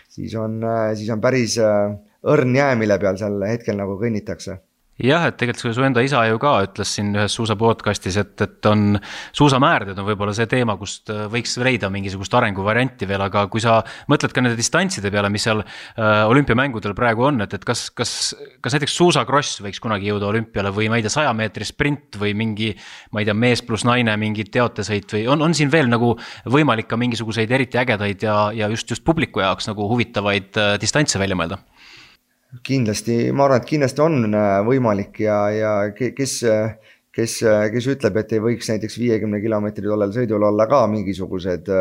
siis on, siis on päris õrn jää, mille peal seal hetkel nagu kõnnitakse. Jah, et tegelikult su enda isa ju ka ütles siin ühes suusa podcastis, et, et on suusamäärd, on võib-olla see teema, kust võiks leida mingisugust arenguvarianti veel, aga kui sa mõtled ka nende distantside peale, mis seal äh, olümpiamängudel praegu on, et, et kas, kas, kas näiteks suusakross võiks kunagi jõuda olümpiale või ma ei tea, saja meetri sprint või mingi, ma ei tea, mees pluss naine, mingi teotesõit või on, on siin veel nagu võimalik ka mingisuguseid eriti ägedaid ja, ja just, just publiku jaoks nagu huvitavaid äh, distantse välja mõelda? Kindlasti, ma arvan, et kindlasti on võimalik ja, ja kes, kes, kes ütleb, et ei võiks näiteks viiekümne kilomeetri tollel sõidul olla ka mingisugused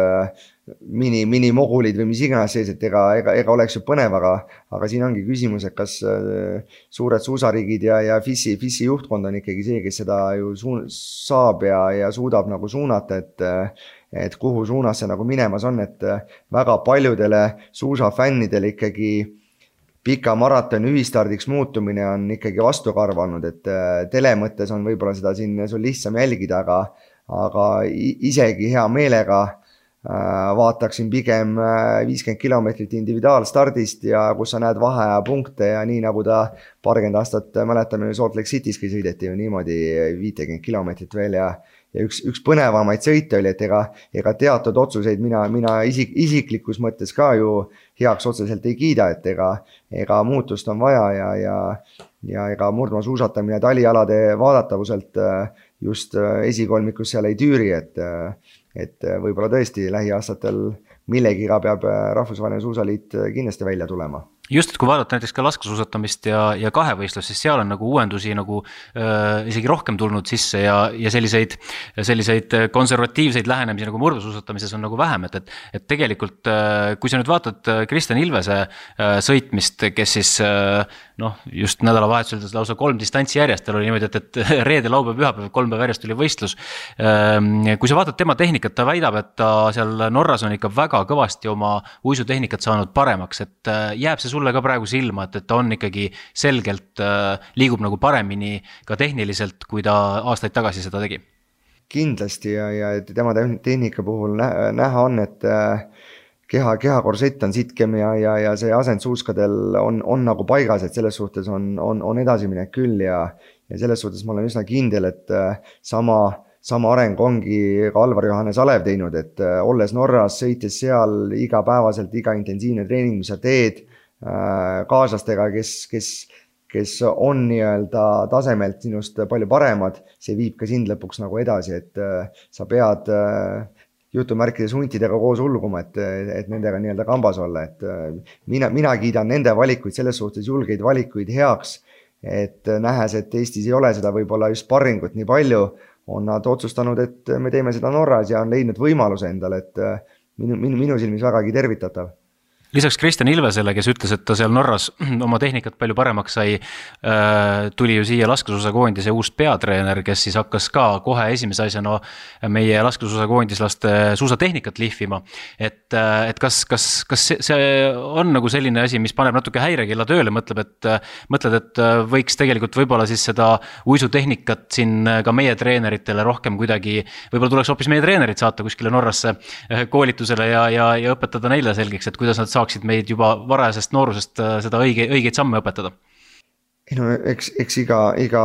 mini, minimogulid või mis iganes sees, et ega, ega, ega oleks ju põnev, aga, aga siin ongi küsimus, et kas suured suusariigid ja, ja F I S-i, F I S-i juhtkond on ikkagi see, kes seda ju suun, saab ja, ja suudab nagu suunata, et et kuhu suunas see nagu minemas on, et väga paljudele suusafännidele ikkagi pika maratoni ühistardiks muutumine on ikkagi vastukarvanud, et tele mõttes on võib-olla seda siin sul lihtsam jälgida, aga, aga isegi hea meelega vaataksin pigem viiskümmend kilomeetrit individuaalstardist ja kus sa näed vaheaja punkte ja nii nagu ta paarkümmend aastat mäletame Salt Lake Cityski sõideti ju niimoodi viitekümmet kilomeetrit veel ja Ja üks, üks põnevamaid sõite oli, et ega, ega teatud otsuseid mina, mina isik, isiklikus mõttes ka ju heaks otseselt ei kiida, et ega, ega muutust on vaja ja, ja, ja ega murdmaasuusatamine talialade vaadatavuselt just esikolmikus seal ei tüüri, et, et võib-olla tõesti lähiaastatel millegiga peab Rahvusvaheline Suusaliit kindlasti välja tulema. Just, et kui vaadata näiteks ka laskesuusatamist ja, ja kahevõistlus, siis seal on nagu uuendusi nagu äh, isegi rohkem tulnud sisse ja, ja selliseid, selliseid konservatiivseid lähenemisi nagu murdmaasuusatamises on nagu vähem, et, et, et tegelikult äh, kui sa nüüd vaatad Kristjan Ilvese äh, sõitmist, kes siis äh, noh, just nädalavahetusel lausa kolm distantsi järjest, tal oli niimoodi, et, et reede, laupäev, pühapäev, kolm päev järjest oli võistlus. Äh, kui sa vaatad tema tehnikat, ta väidab, et ta seal Norras on ikka väga kõvasti oma uisutehnikat saanud paremaks, et äh, jääb see sulle ka praegu silma, et, et ta on ikkagi selgelt äh, liigub nagu paremini ka tehniliselt, kui ta aastaid tagasi seda tegi? Kindlasti ja, ja tema tehnika puhul näha on, et äh, keha, kehakorsett on sitkem ja, ja, ja see asend suuskadel on, on nagu paigas, et selles suhtes on, on, on edasiminek küll ja, ja selles suhtes ma olen üsna kindel, et äh, sama Sama areng ongi ka Alvar Johannes Alev teinud, et äh, olles Norras, sõites seal igapäevaselt, iga intensiivne treening, mis sa teed, kaaslastega, kes, kes, kes on nii-öelda tasemelt sinust palju paremad, see viib ka sind lõpuks nagu edasi, et sa pead jutumärkides huntidega koos ulguma, et, et nendega nii-öelda kambas olla, et mina, mina kiidan nende valikuid, selles suhtes julgeid valikuid heaks, et nähes, et Eestis ei ole seda võib-olla just sparringut nii palju, on nad otsustanud, et me teeme seda Norras ja on leidnud võimaluse endale, et minu, minu, minu silmis vägagi tervitatav. Lisaks Kristjan Ilvesele, kes ütles, et ta seal Norras oma tehnikat palju paremaks sai, tuli ju siia laskesuusakoondise uus peatreener, kes siis hakkas ka kohe esimese asjana meie laskesuusakoondislaste suusatehnikat lihvima. Et, et kas, kas, kas see on nagu selline asi, mis paneb natuke häirekella tööle, mõtleb, et, mõtled, et võiks tegelikult võib-olla siis seda uisutehnikat siin ka meie treeneritele rohkem kuidagi, võib-olla tuleks hoopis meie treenerid saata kuskile Norrasse koolitusele ja, ja, ja õpetada neile selgeks, et kuidas nad saaksid meid juba varajasest noorusest seda õige, õigeid samme õpetada? No, eks, eks iga, iga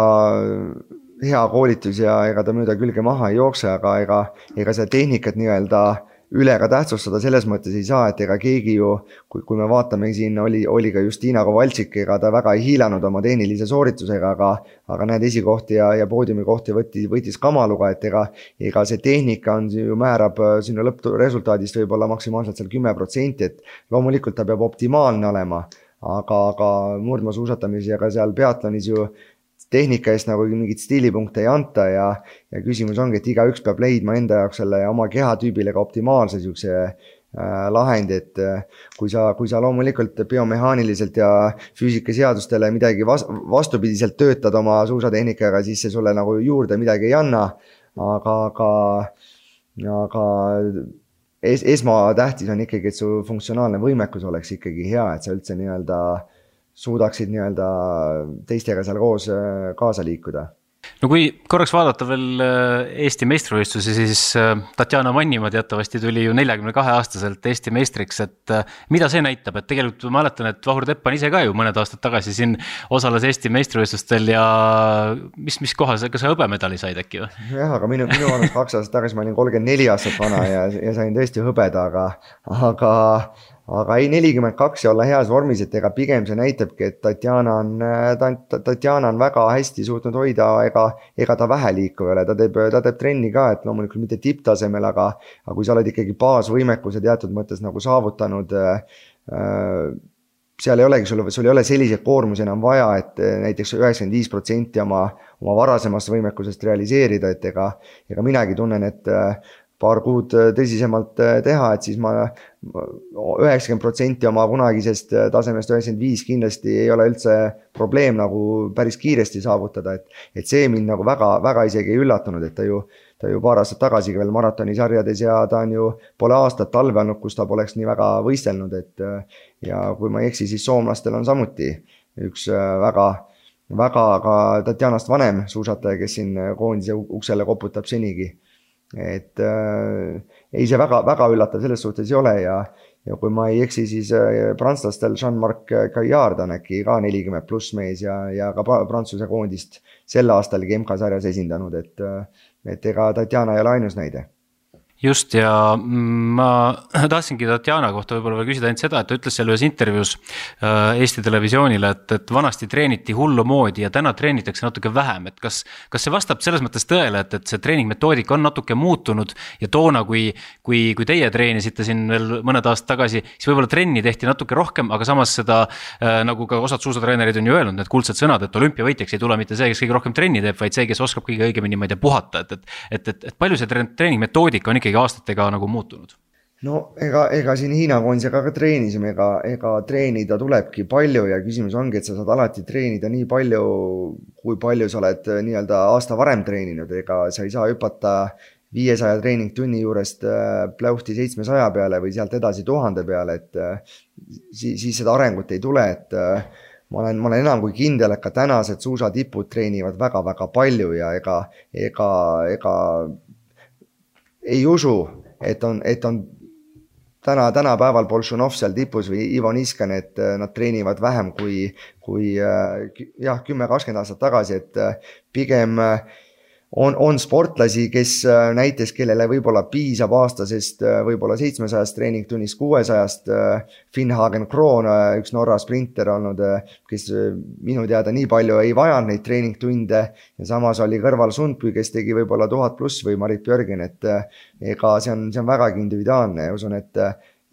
hea koolitus ja ega ta mööda külge maha ei jookse, aga ega, ega seda tehnikat nii-öelda üle ka tähtsustada selles mõttes ei saa, et ega keegi ju, kui, kui me vaatame, siin oli, oli ka Justina Kovaltšik, ega ta väga ei hiilanud oma tehnilise sooritusega, aga, aga need esikohti ja, ja poodiumi kohti võttis, võttis kamaluga, et ega, ega see tehnika on ju määrab sinna lõppresultaadist võib-olla maksimaalselt seal kümme protsenti, et loomulikult ta peab optimaalne olema, aga, aga murdmaasuusatamis ja ka seal peatlonis ju tehnika eest nagu mingit stiilipunkte ei anta ja, ja küsimus ongi, et igaüks peab leidma enda jaoks selle oma kehatüübile ka optimaalse siukse äh, lahendi, et äh, kui sa, kui sa loomulikult biomehaaniliselt ja füüsikaseadustele midagi vas, vastupidiselt töötad oma suusatehnikaga, siis see sulle nagu juurde midagi ei anna, aga, aga, aga es, esmatähtis on ikkagi, et su funktsionaalne võimekus oleks ikkagi hea, et sa üldse nii-öelda suudaksid nii-öelda teistega seal koos kaasa liikuda. No kui korraks vaadata veel Eesti meistrivõistlusi, siis Tatjana Mannima teatavasti tuli ju neljakümne kahe aastaselt Eesti meistriks, et mida see näitab, et tegelikult ma mäletan, et Vahur Teppan ise ka ju mõned aastad tagasi siin osales Eesti meistrivõistlustel ja mis, mis kohal, kas sa hõbemedali said äkki või? Jah, aga minu, minu vanus kaks aastat tagasi ma olin kolmkümmend neli aastat vana ja, ja sain tõesti hõbeda, aga, aga Aga ei nelikümmend kaks ja olla heas vormis, et ega pigem see näitabki, et Tatjana on, Tatjana on väga hästi suutnud hoida, ega, ega ta vähe liikuv ole, ta teeb, ta teeb trenni ka, et loomulikult mitte tipptasemel, aga, aga kui sa oled ikkagi baasvõimekuse teatud mõttes nagu saavutanud, seal ei olegi, sul, sul ei ole selliseid koormusi enam vaja, et näiteks üheksakümmend viis protsenti oma, oma varasemast võimekusest realiseerida, et ega, ega minagi tunnen, et paar kuud tõsisemalt teha, et siis ma üheksakümmend protsenti oma kunagisest tasemest üheksakümmend viis kindlasti ei ole üldse probleem nagu päris kiiresti saavutada, et, et see mind nagu väga, väga isegi ei üllatunud, et ta ju, ta ju paar aastat tagasi veel maratonisarjades ja ta on ju pole aastat talve olnud, kus ta poleks nii väga võistelnud, et ja kui ma ei eksi, siis soomlastel on samuti üks väga, väga ka Tatjanast vanem suusataja, kes siin koondise uksele koputab senigi. Et äh, ei see väga, väga üllatav selles suhtes ei ole ja, ja kui ma ei eksi, siis äh, prantslastel Jean-Marc Gaillard on äkki ka nelikümmend pluss mees ja, ja ka Prantsuse koondist sel aastal M K sarjas esindanud, et, et ega Tatjana ei ole ainus näide. Just ja ma tahtsingi Tatjana kohta võib-olla veel küsida ainult seda, et ta ütles seal ühes intervjuus Eesti Televisioonile, et, et vanasti treeniti hullu moodi ja täna treenitakse natuke vähem, et kas, kas see vastab selles mõttes tõele, et, et see treeningmetoodika on natuke muutunud ja toona, kui, kui, kui teie treenisite siin veel mõned aastad tagasi, siis võib-olla trenni tehti natuke rohkem, aga samas seda, nagu ka osad suusatreenerid on ju öelnud, need kuldsed sõnad, et olümpiavõitjaks ei tule mitte see, kes kõige rohkem trenni teeb, vaid see, kes oskab kõige õigemini, ma ei tea, puhata, et, et, et, et palju see treeningmetoodika on ikkagi aastatega nagu muutunud? No ega, ega siin Hiina koondisega ka treenisime, ega, ega treenida tulebki palju ja küsimus ongi, et sa saad alati treenida nii palju, kui palju sa oled nii-öelda aasta varem treeninud, ega sa ei saa hüpata viiesaja treeningtunni juurest pläuhti seitsmesaja peale või sealt edasi tuhande peale, et siis, siis seda arengut ei tule, et ma olen, ma olen enam kui kindel, et ka tänased suusatipud treenivad väga-väga palju ja ega, ega, ega ei usu, et on, et on täna, tänapäeval Bolšunov seal tipus või Ivo Niskan, et nad treenivad vähem kui, kui jah, kümme kakskümmend aastat tagasi, et pigem on, on sportlasi, kes näiteks, kellele võib-olla piisab aastasest võib-olla seitsmesajast treeningtunnist kuuesajast, Finnhagen Kroon, üks Norra sprinter olnud, kes minu teada nii palju ei vajanud neid treeningtunde ja samas oli kõrval Sundby, kes tegi võib-olla tuhat pluss või Marit Björgen, et ega see on, see on vägagi individuaalne ja usun, et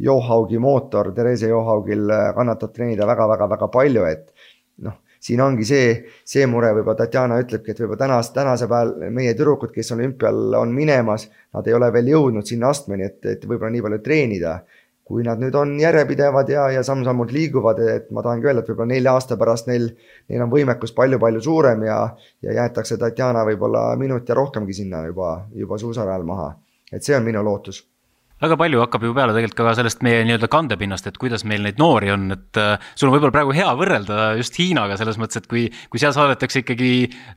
Johaugi mootor, Therese Johaugil kannatab treenida väga-väga-väga palju, et noh, siin ongi see, see mure, võib-olla Tatjana ütlebki, et võib-olla tänas, tänase päeval meie tüdrukud, kes olümpial on minemas, nad ei ole veel jõudnud sinna astmeni, et, et võib-olla nii palju treenida. Kui nad nüüd on järjepidevad ja, ja samm-sammult liiguvad, et ma tahangi öelda, et võib-olla nelja aasta pärast neil, neil on võimekus palju-palju suurem ja, ja jäetakse Tatjana võib-olla minut ja rohkemgi sinna juba, juba suusarajal maha. Et see on minu lootus. Väga palju hakkab ju peale tegelikult ka sellest meie nii-öelda kandepinnast, et kuidas meil neid noori on, et uh, sul on võib-olla praegu hea võrrelda just Hiinaga selles mõttes, et kui, kui seal saadetakse ikkagi,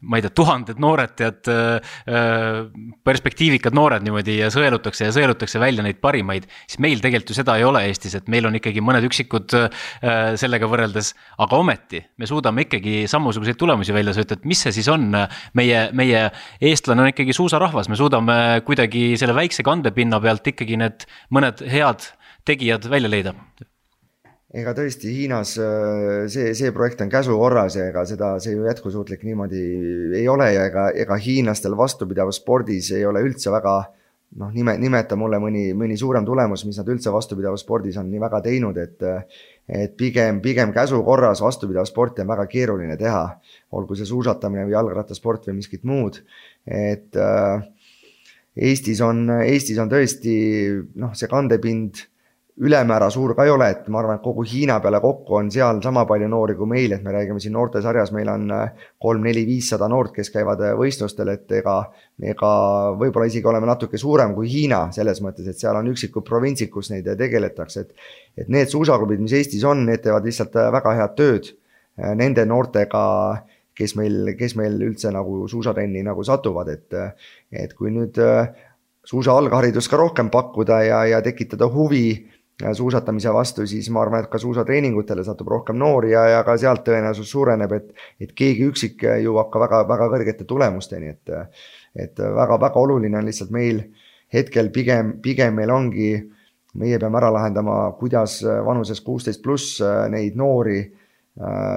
ma ei tea, tuhanded noored, tead, uh, perspektiivikad noored niimoodi ja sõelutakse ja sõelutakse välja neid parimaid, siis meil tegelikult ju seda ei ole Eestis, et meil on ikkagi mõned üksikud uh, sellega võrreldes, aga ometi me suudame ikkagi sammusuguseid tulemusi välja sööta, et mis see siis on, meie, meie eestlane on ikkagi suusarahvas, me suudame kuidagi selle väikse kandepinna pealt ikkagi need mõned head tegijad välja leida. Ega tõesti Hiinas see, see projekt on käsukorras ja ega seda, see ju jätkusuutlik niimoodi ei ole ja ega, ega hiinlastel vastupidavas spordis ei ole üldse väga, noh, nime, nimeta mulle mõni, mõni suurem tulemus, mis nad üldse vastupidavas spordis on nii väga teinud, et, et pigem, pigem käsukorras vastupidav sporti on väga keeruline teha, olgu see suusatamine või jalgrattasport või miskit muud, et Eestis on, Eestis on tõesti, noh, see kandepind ülemäära suur ka ei ole, et ma arvan, et kogu Hiina peale kokku on seal sama palju noori kui meil, et me räägime siin noortesarjas, meil on kolm neli viissada noort, kes käivad võistlustel, et ega, ega võib-olla isegi oleme natuke suurem kui Hiina selles mõttes, et seal on üksikud provintsid, kus neid tegeletakse, et, et need suusaklubid, mis Eestis on, need teevad lihtsalt väga head tööd nende noortega, kes meil, kes meil üldse nagu suusatrenni nagu satuvad, et, et kui nüüd suusa algharidust ka rohkem pakkuda ja, ja tekitada huvi suusatamise vastu, siis ma arvan, et ka suusatreeningutele satub rohkem noori ja, ja ka sealt tõenäosus suureneb, et, et keegi üksik jõuab ka väga, väga kõrgete tulemusteni, et, et väga, väga oluline on lihtsalt meil hetkel pigem, pigem meil ongi, meie peame ära lahendama, kuidas vanuses kuusteist pluss neid noori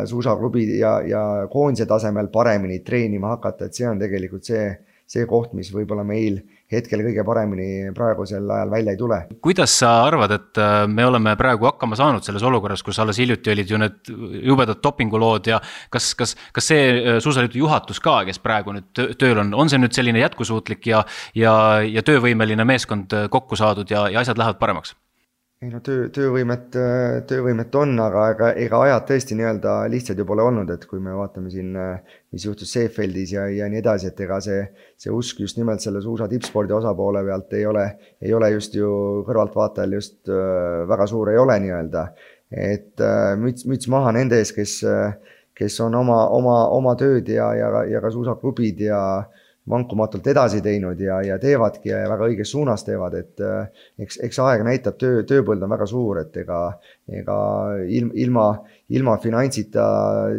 suusaklubid ja, ja koondise tasemel paremini treenima hakata, et see on tegelikult see, see koht, mis võib-olla meil hetkel kõige paremini praegusel ajal välja ei tule. Kuidas sa arvad, et me oleme praegu hakkama saanud selles olukorras, kus alles hiljuti olid ju need jubedad dopingulood ja kas, kas, kas see suusaliidu juhatus ka, kes praegu nüüd tööl on, on see nüüd selline jätkusuutlik ja, ja, ja töövõimeline meeskond kokku saadud ja, ja asjad lähevad paremaks? Ei no töö, töövõimet, töövõimet on, aga ega, ega ajad tõesti nii-öelda lihtsad ju pole olnud, et kui me vaatame siin, mis juhtus Seefeldis ja, ja nii edasi, et ega see, see usk just nimelt selle suusa tippspordi osapoole pealt ei ole, ei ole just ju kõrvaltvaatajal just väga suur ei ole nii-öelda. Et müts, müts maha nende ees, kes, kes on oma, oma, oma tööd ja, ja, ja ka suusaklubid ja vankumatult edasi teinud ja, ja teevadki ja väga õiges suunas teevad, et eks, eks aeg näitab, töö, tööpõld on väga suur, et ega, ega ilma, ilma finantsita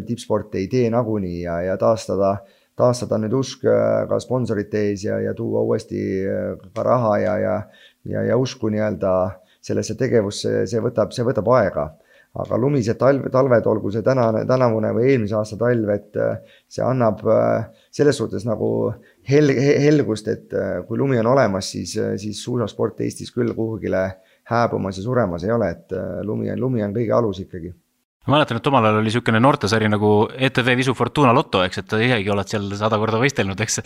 tippsport ei tee nagunii ja, ja taastada, taastada nüüd usk ka sponsorite ees ja, ja tuua uuesti ka raha ja, ja, ja, ja usku nii-öelda sellesse tegevusse, see võtab, see võtab aega. Aga lumised talved, talved, olgu see tänane, tänavune või eelmise aasta talv, et see annab selles suhtes nagu hel, helgust, et kui lumi on olemas, siis, siis suusasport Eestis küll kuhugile hääbumas ja suremas ei ole, et lumi on, lumi on kõige alus ikkagi. Ma mäletan, et omal ajal oli niisugune noortesari nagu E T V Visu Fortuna Lotto, eks, et isegi oled seal sada korda võistelnud, eks.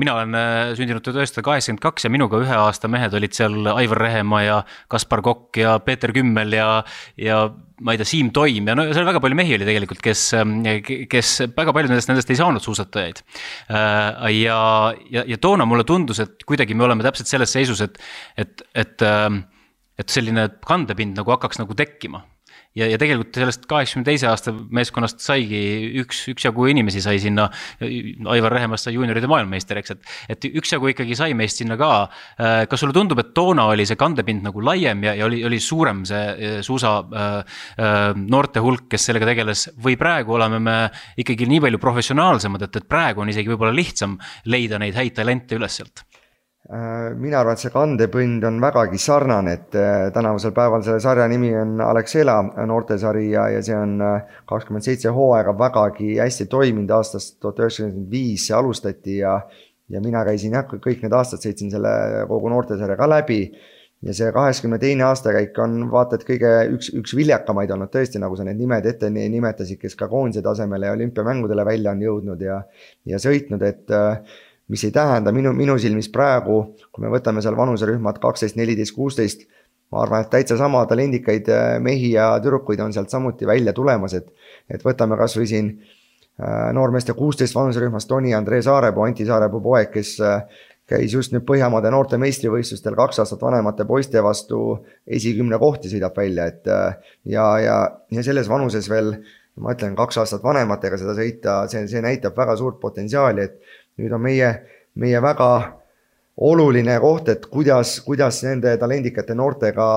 Mina olen sündinud tuhat üheksasada kaheksakümmend kaks ja minuga ühe aasta mehed olid seal Aivar Rehemaa ja Kaspar Kokk ja Peeter Kümmel ja, ja ma ei tea, Siim Toim ja no seal väga palju mehi oli tegelikult, kes, kes väga palju nendest, nendest ei saanud suusatajaid. Ja, ja, ja toona mulle tundus, et kuidagi me oleme täpselt selles seisus, et, et, et, et selline kandepind nagu hakkaks nagu tekkima. Ja, ja tegelikult sellest kaheksakümne teise aasta meeskonnast saigi üks, üksjagu inimesi sai sinna, Aivar Rehemast sai juunioride maailmameister, eks, et, et üksjagu ikkagi sai meist sinna ka. Kas sulle tundub, et toona oli see kandepind nagu laiem ja, ja oli, oli suurem see suusa äh, noorte hulk, kes sellega tegeles, või praegu oleme me ikkagi nii palju professionaalsemad, et, et praegu on isegi võib-olla lihtsam leida neid häid talente üles sealt? Mina arvan, et see kandepind on vägagi sarnane, et tänavusel päeval selle sarja nimi on Alexela noortesari ja, ja see on kakskümmend seitse hooaega vägagi hästi toiminud aastast tuhat üheksasada viis see alustati ja, ja mina käisin jah, kõik need aastad sõitsin selle kogu noortesarja ka läbi ja see kaheksakümne teine aastakäik on vaata, et kõige üks, üks viljakamaid olnud tõesti, nagu sa need nimed ette nimetasid, kes ka koondise tasemele ja olümpiamängudele välja on jõudnud ja, ja sõitnud, et mis ei tähenda minu, minu silmis praegu, kui me võtame seal vanuserühmad kaksteist, neliteist, kuusteist, ma arvan, et täitsa sama talendikaid mehi ja tüdrukuid on sealt samuti välja tulemas, et, et võtame kas või siin noormeeste kuusteist vanuserühmas Toni Andree Saarepuu, Anti Saarepuu poeg, kes käis just nüüd Põhjamaade noorte meistrivõistlustel kaks aastat vanemate poiste vastu esikümne kohti sõidab välja, et ja, ja, ja selles vanuses veel, ma ütlen, kaks aastat vanematega seda sõita, see, see näitab väga suurt potentsiaali, et nüüd on meie, meie väga oluline koht, et kuidas, kuidas nende talendikate noortega,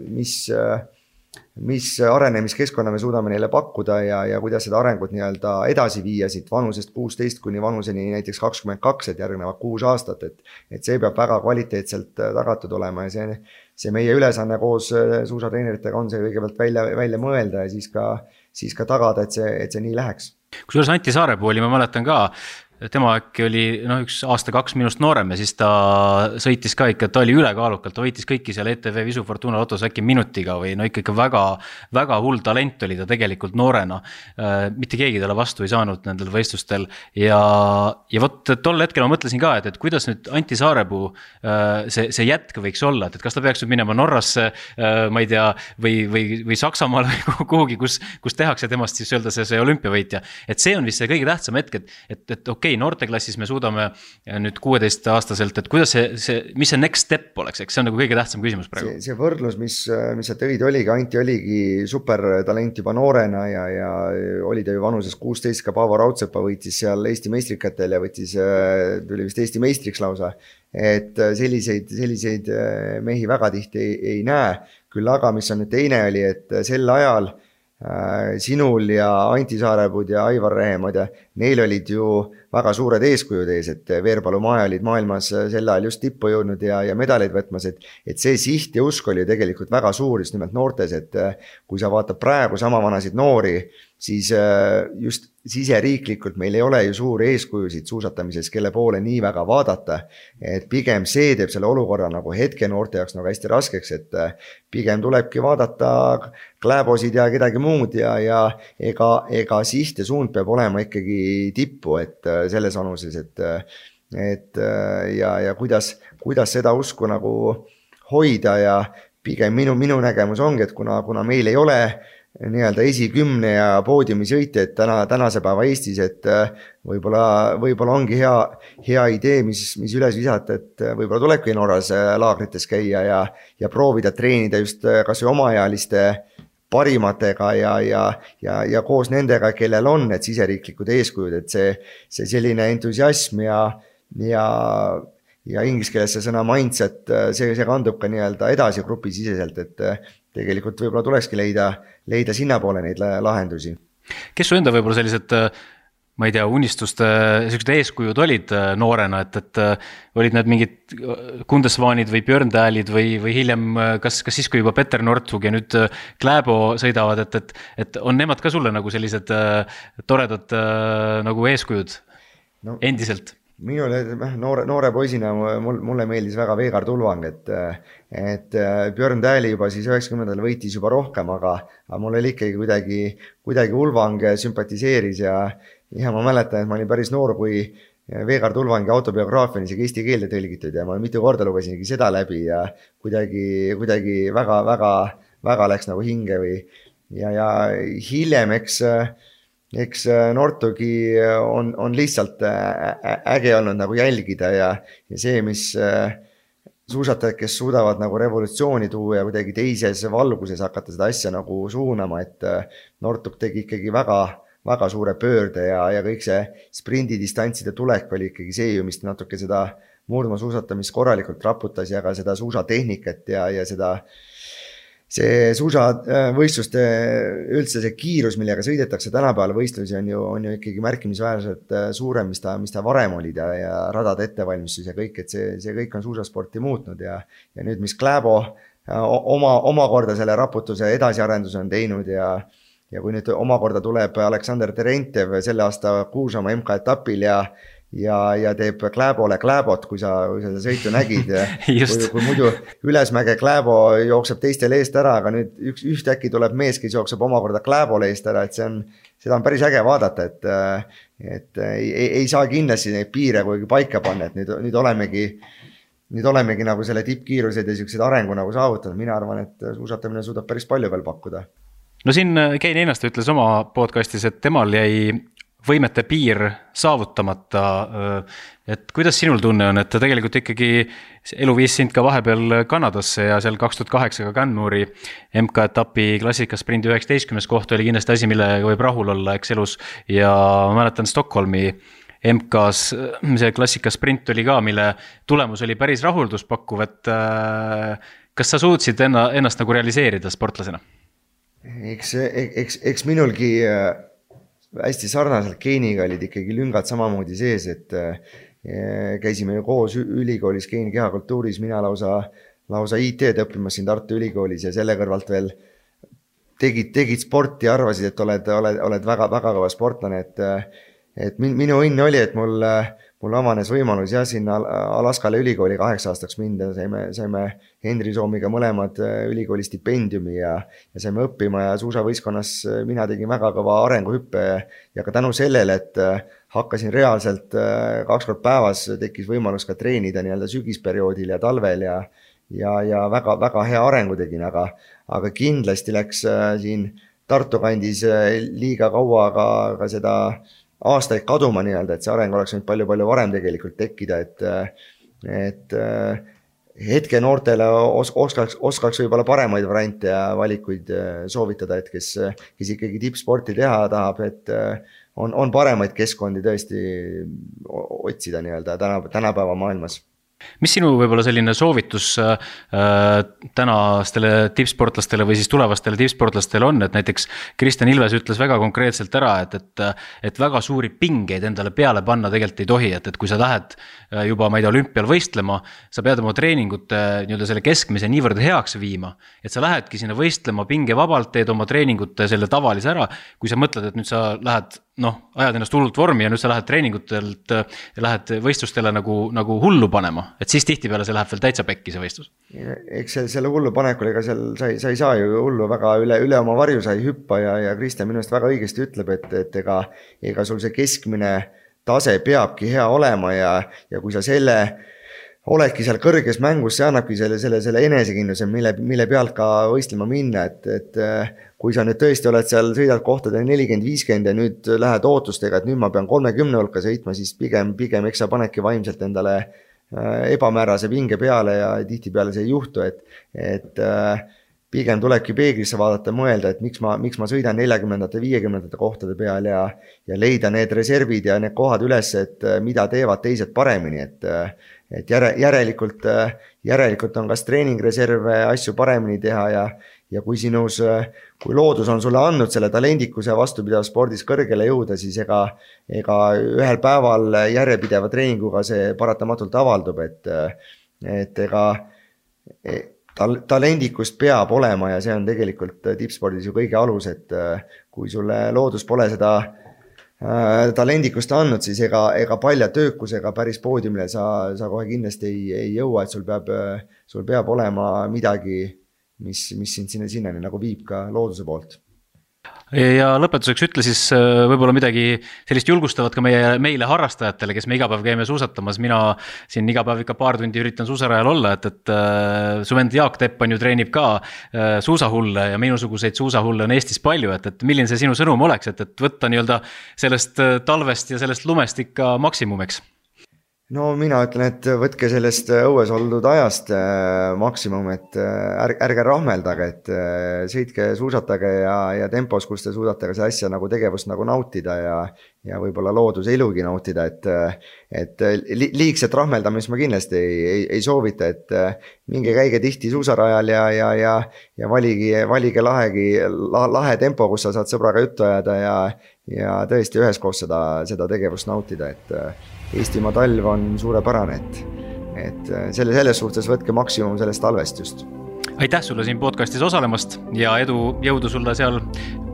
mis mis arenemiskeskkonna me suudame neile pakkuda ja, ja kuidas seda arengut nii-öelda edasi viia siit vanusest kuusteist kuni vanuseni näiteks kakskümmend kaks, et järgnevad kuus aastat, et, et see peab väga kvaliteetselt tagatud olema ja see, see meie ülesanne koos suusatreeneritega on see kõigepealt välja, välja mõelda ja siis ka, siis ka tagada, et see, et see nii läheks. Kusjuures Anti Saarepuu oli, ma mäletan ka, tema äkki oli no, üks aasta kaks minust noorem ja siis ta sõitis ka ikka, ta oli ülekaalukalt, ta võitis kõiki seal E T V Visu Fortuna lotos äkki minutiga või no ikka, ikka väga, väga hull talent oli ta tegelikult noorena. Mitte keegi talle vastu ei saanud nendel võistlustel ja, ja vot tol hetkel ma mõtlesin ka, et, et kuidas nüüd Anti Saarepuu see, see jätk võiks olla, et kas ta peaks nüüd minema Norrasse, ma ei tea, või, või, või Saksamaal või kuhugi, kus, kus tehakse temast siis öelda see, see olümpiavõitja. Et see on vist see kõige tähtsam hetk, et, et, et okei, okay, noorteklassis me suudame nüüd kuueteist aastaselt, et kuidas see, see, mis see next step oleks, eks see on nagu kõige tähtsam küsimus praegu. See, see võrdlus, mis, mis sa tõid oligi, Anti oligi supertalent juba noorena ja, ja oli ta ju vanuses kuusteist, ka Paavo Raudsepa võitis seal Eesti meistrikatel ja võitis, tuli vist Eesti meistriks lausa, et selliseid, selliseid mehi väga tihti ei, ei näe, küll aga mis on nüüd teine oli, et sel ajal sinul ja Anti Saarepuud ja Aivar Rehemad ja neil olid ju väga suured eeskujud ees, et Veerpalu Maja olid maailmas sel ajal just tippu jõudnud ja, ja medaleid võtmas, et, et see siht ja usk oli tegelikult väga suur just nimelt noortes, et kui sa vaatad praegu sama vanasid noori, siis just siseriiklikult meil ei ole ju suuri eeskujusid suusatamises, kelle poole nii väga vaadata, et pigem see teeb selle olukorra nagu hetke noorte jaoks nagu hästi raskeks, et pigem tulebki vaadata Kläbosid ja kedagi muud ja, ja ega, ega siht ja suund peab olema ikkagi tippu, et selles vanuses, et, et ja, ja kuidas, kuidas seda usku nagu hoida ja pigem minu, minu nägemus ongi, et kuna, kuna meil ei ole nii-öelda esikümne ja poodiumi sõitjaid täna, tänase päeva Eestis, et võib-olla, võib-olla ongi hea, hea idee, mis, mis üles visata, et võib-olla tulebki Norras laagrites käia ja, ja proovida treenida just kas või omaealiste parimatega ja, ja, ja, ja koos nendega, kellel on need siseriiklikud eeskujud, et see, see selline entusiasm ja, ja, ja inglise keeles see sõna mindset, see, see kandub ka nii-öelda edasi grupisiseselt, et tegelikult võib-olla tulekski leida, leida sinna poole neid lahendusi. Kes su enda võib-olla sellised, ma ei tea, unistuste sellised eeskujud olid noorena, et, et olid need mingid Kundesvaanid või Björn Täälid või, või hiljem, kas, kas siis, kui juba Peter Northug ja nüüd Kläbo sõidavad, et, et, et on nemad ka sulle nagu sellised toredad nagu eeskujud no. Endiselt? Minule noore, noore poisina mulle meeldis väga Veegard Ulvang, et, et Björn Tääli juba siis üheksakümnendatel võitis juba rohkem, aga, aga mulle ikkagi kuidagi, kuidagi Ulvang sümpatiseeris ja, ja ma mäletan, et ma olin päris noor, kui Veegard Ulvangi autobiograafia on isegi eesti keelde tõlgitud ja ma mitu korda lugesingi seda läbi ja kuidagi, kuidagi väga, väga, väga läks nagu hinge või ja, ja hiljem, eks eks Nortugi on, on lihtsalt äge olnud nagu jälgida ja, ja see, mis suusatajad, kes suudavad nagu revolutsiooni tuua ja kuidagi teises valguses hakata seda asja nagu suunama, et Nortug tegi ikkagi väga, väga suure pöörde ja, ja kõik see sprindidistantside tulek oli ikkagi see ju, mis natuke seda murdmaasuusatamist korralikult raputas ja ka seda suusatehnikat ja, ja seda see suusavõistluste üldse see kiirus, millega sõidetakse tänapäeval võistlusi on ju, on ju ikkagi märkimisväärselt suurem, mis ta, mis ta varem olid ja, ja radade ettevalmistus ja kõik, et see, see kõik on suusasporti muutnud ja, ja nüüd, mis Kläbo oma, omakorda selle raputuse edasiarenduse on teinud ja, ja kui nüüd omakorda tuleb Aleksander Terentev selle aasta Kuusamaa M K etapil ja ja, ja teeb Kläbole Kläbot, kui sa, kui sa seda sõitu nägid. kui, kui muidu ülesmäge Kläbo jookseb teistel eest ära, aga nüüd üks, ühtäkki tuleb mees, kes jookseb omakorda Kläbole eest ära, et see on, seda on päris äge vaadata, et, et ei, ei saa kindlasti neid piire kuigi paika panna, et nüüd, nüüd olemegi Nüüd olemegi nagu selle tippkiirused ja sellised arengu nagu saavutanud. Mina arvan, et suusatamine suudab päris palju veel pakkuda. No siin Kein Einasto ütles oma podcastis, et temal jäi võimete piir saavutamata. Et kuidas sinul tunne on, et tegelikult ikkagi elu viis sind ka vahepeal Kanadasse ja seal kaks tuhat kaheksa ka Canmore'i M K etapi klassikasprindi üheksateistkümnes koht oli kindlasti asi, millega võib rahul olla eks elus ja ma mäletan Stockholmi M K-s see klassikasprint oli ka, mille tulemus oli päris rahulduspakkuv, et kas sa suutsid enna, ennast nagu realiseerida sportlasena? Eks, eks, eks minulgi hästi sarnaselt Keiniga olid ikkagi lüngad samamoodi sees, et käisime ju koos ülikoolis Keini kehakultuuris, mina lausa, lausa I T-d õppimas siin Tartu ülikoolis ja selle kõrvalt veel tegid, tegid sporti ja arvasid, et oled, oled, oled väga, väga kõva sportlane, et et minu õnn oli, et mul, mul avanes võimalus ja sinna Alaskale ülikooli kaheksa aastaks minna, saime, saime Henri Soomiga mõlemad ülikooli stipendiumi ja, ja saime õppima ja suusavõistkonnas mina tegin väga kõva arenguhüppe ja ka tänu sellele, et hakkasin reaalselt kaks kord päevas, tekkis võimalus ka treenida nii-öelda sügisperioodil ja talvel ja, ja, ja väga, väga hea arengu tegin, aga, aga kindlasti läks siin Tartu kandis liiga kaua ka, ka seda aastaid kaduma nii-öelda, et see areng oleks nüüd palju-palju varem tegelikult tekkida, et, et hetke noortele os, oskaks, oskaks võib-olla paremaid variante ja valikuid soovitada, et kes, kes ikkagi tippsporti teha tahab, et on, on paremaid keskkondi tõesti otsida nii-öelda täna, tänapäeva maailmas. Mis sinu võib-olla selline soovitus äh, tänastele tippsportlastele või siis tulevastele tippsportlastele on, et näiteks Kristjan Ilves ütles väga konkreetselt ära, et, et, et väga suuri pingeid endale peale panna tegelikult ei tohi, et, et kui sa lähed juba, ma ei tea, olümpial võistlema, sa pead oma treeningute nii-öelda selle keskmise niivõrd heaks viima, et sa lähedki sinna võistlema pingevabalt, teed oma treeningute selle tavalise ära, kui sa mõtled, et nüüd sa lähed noh, ajad ennast hullult vormi ja nüüd sa lähed treeningutelt ja lähed võistlustele nagu, nagu hullu panema, et siis tihtipeale see läheb veel täitsa pekki see võistlus. Eks selle hullu panekul, ega seal sa, sa ei saa ju hullu väga üle, üle oma varju sa ei hüppa ja, ja Kristjan minu eest väga õigesti ütleb, et, et ega, ega sul see keskmine tase peabki hea olema ja, ja kui sa selle oledki seal kõrges mängus, see annabki selle, selle, selle enesekindluse, mille, mille pealt ka võistlema minna, et, et kui sa nüüd tõesti oled seal, sõidad kohtadel nelikümmend viiskümmend ja nüüd lähed ootustega, et nüüd ma pean kolmekümne hulka sõitma, siis pigem, pigem eks sa panedki vaimselt endale ebamäärase pinge peale ja tihtipeale see ei juhtu, et, et pigem tulebki peeglisse vaadata, mõelda, et miks ma, miks ma sõidan neljakümnendate, viiekümnendate kohtade peal ja, ja leida need reservid ja need kohad üles, et mida teevad teised paremini, et et järe, järelikult, järelikult on kas treeningreserve asju paremini teha ja, ja kui sinus, kui loodus on sulle andnud selle talendikuse vastupidav spordis kõrgele jõuda, siis ega, ega ühel päeval järjepideva treeninguga see paratamatult avaldub, et, et ega tal, talendikust peab olema ja see on tegelikult tippspordis ju kõige alus, et kui sulle loodus pole seda talendikust andnud, siis ega, ega palja töökusega päris poodiumile sa, sa kohe kindlasti ei, ei jõua, et sul peab, sul peab olema midagi, mis, mis sind sinna, sinnani nagu viib ka looduse poolt. Ja lõpetuseks ütle siis võib-olla midagi sellist julgustavat ka meie, meile harrastajatele, kes me iga päev käime suusatamas. Mina siin iga päev ikka paar tundi üritan suusarajal olla, et, et äh, su vend Jaak Teppan ju treenib ka äh, suusahulle ja minusuguseid suusahulle on Eestis palju, et, et milline see sinu sõnum oleks, et, et võtta nii-öelda sellest talvest ja sellest lumest ikka maksimumeks? No mina ütlen, et võtke sellest õues oldud ajast maksimum, et ärge, ärge rahmeldage, et sõitke, suusatage ja, ja tempos, kus te suudate ka see asja nagu tegevust nagu nautida ja, ja võib-olla looduse ilugi nautida, et, et liigset rahmeldamist ma kindlasti ei, ei, ei soovita, et minge käige tihti suusarajal ja, ja, ja, ja valigi, valige lahegi, lahe tempo, kus sa saad sõbraga juttu ajada ja, ja tõesti üheskoos seda, seda tegevust nautida, et Eestimaa talv on suurepärane, et, et selle, selles suhtes võtke maksimum sellest talvest just. Aitäh sulle siin podcastis osalemast ja edu, jõudu sulle seal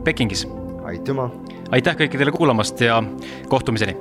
Pekingis. Aitüma. Aitäh kõikidele kuulamast ja kohtumiseni.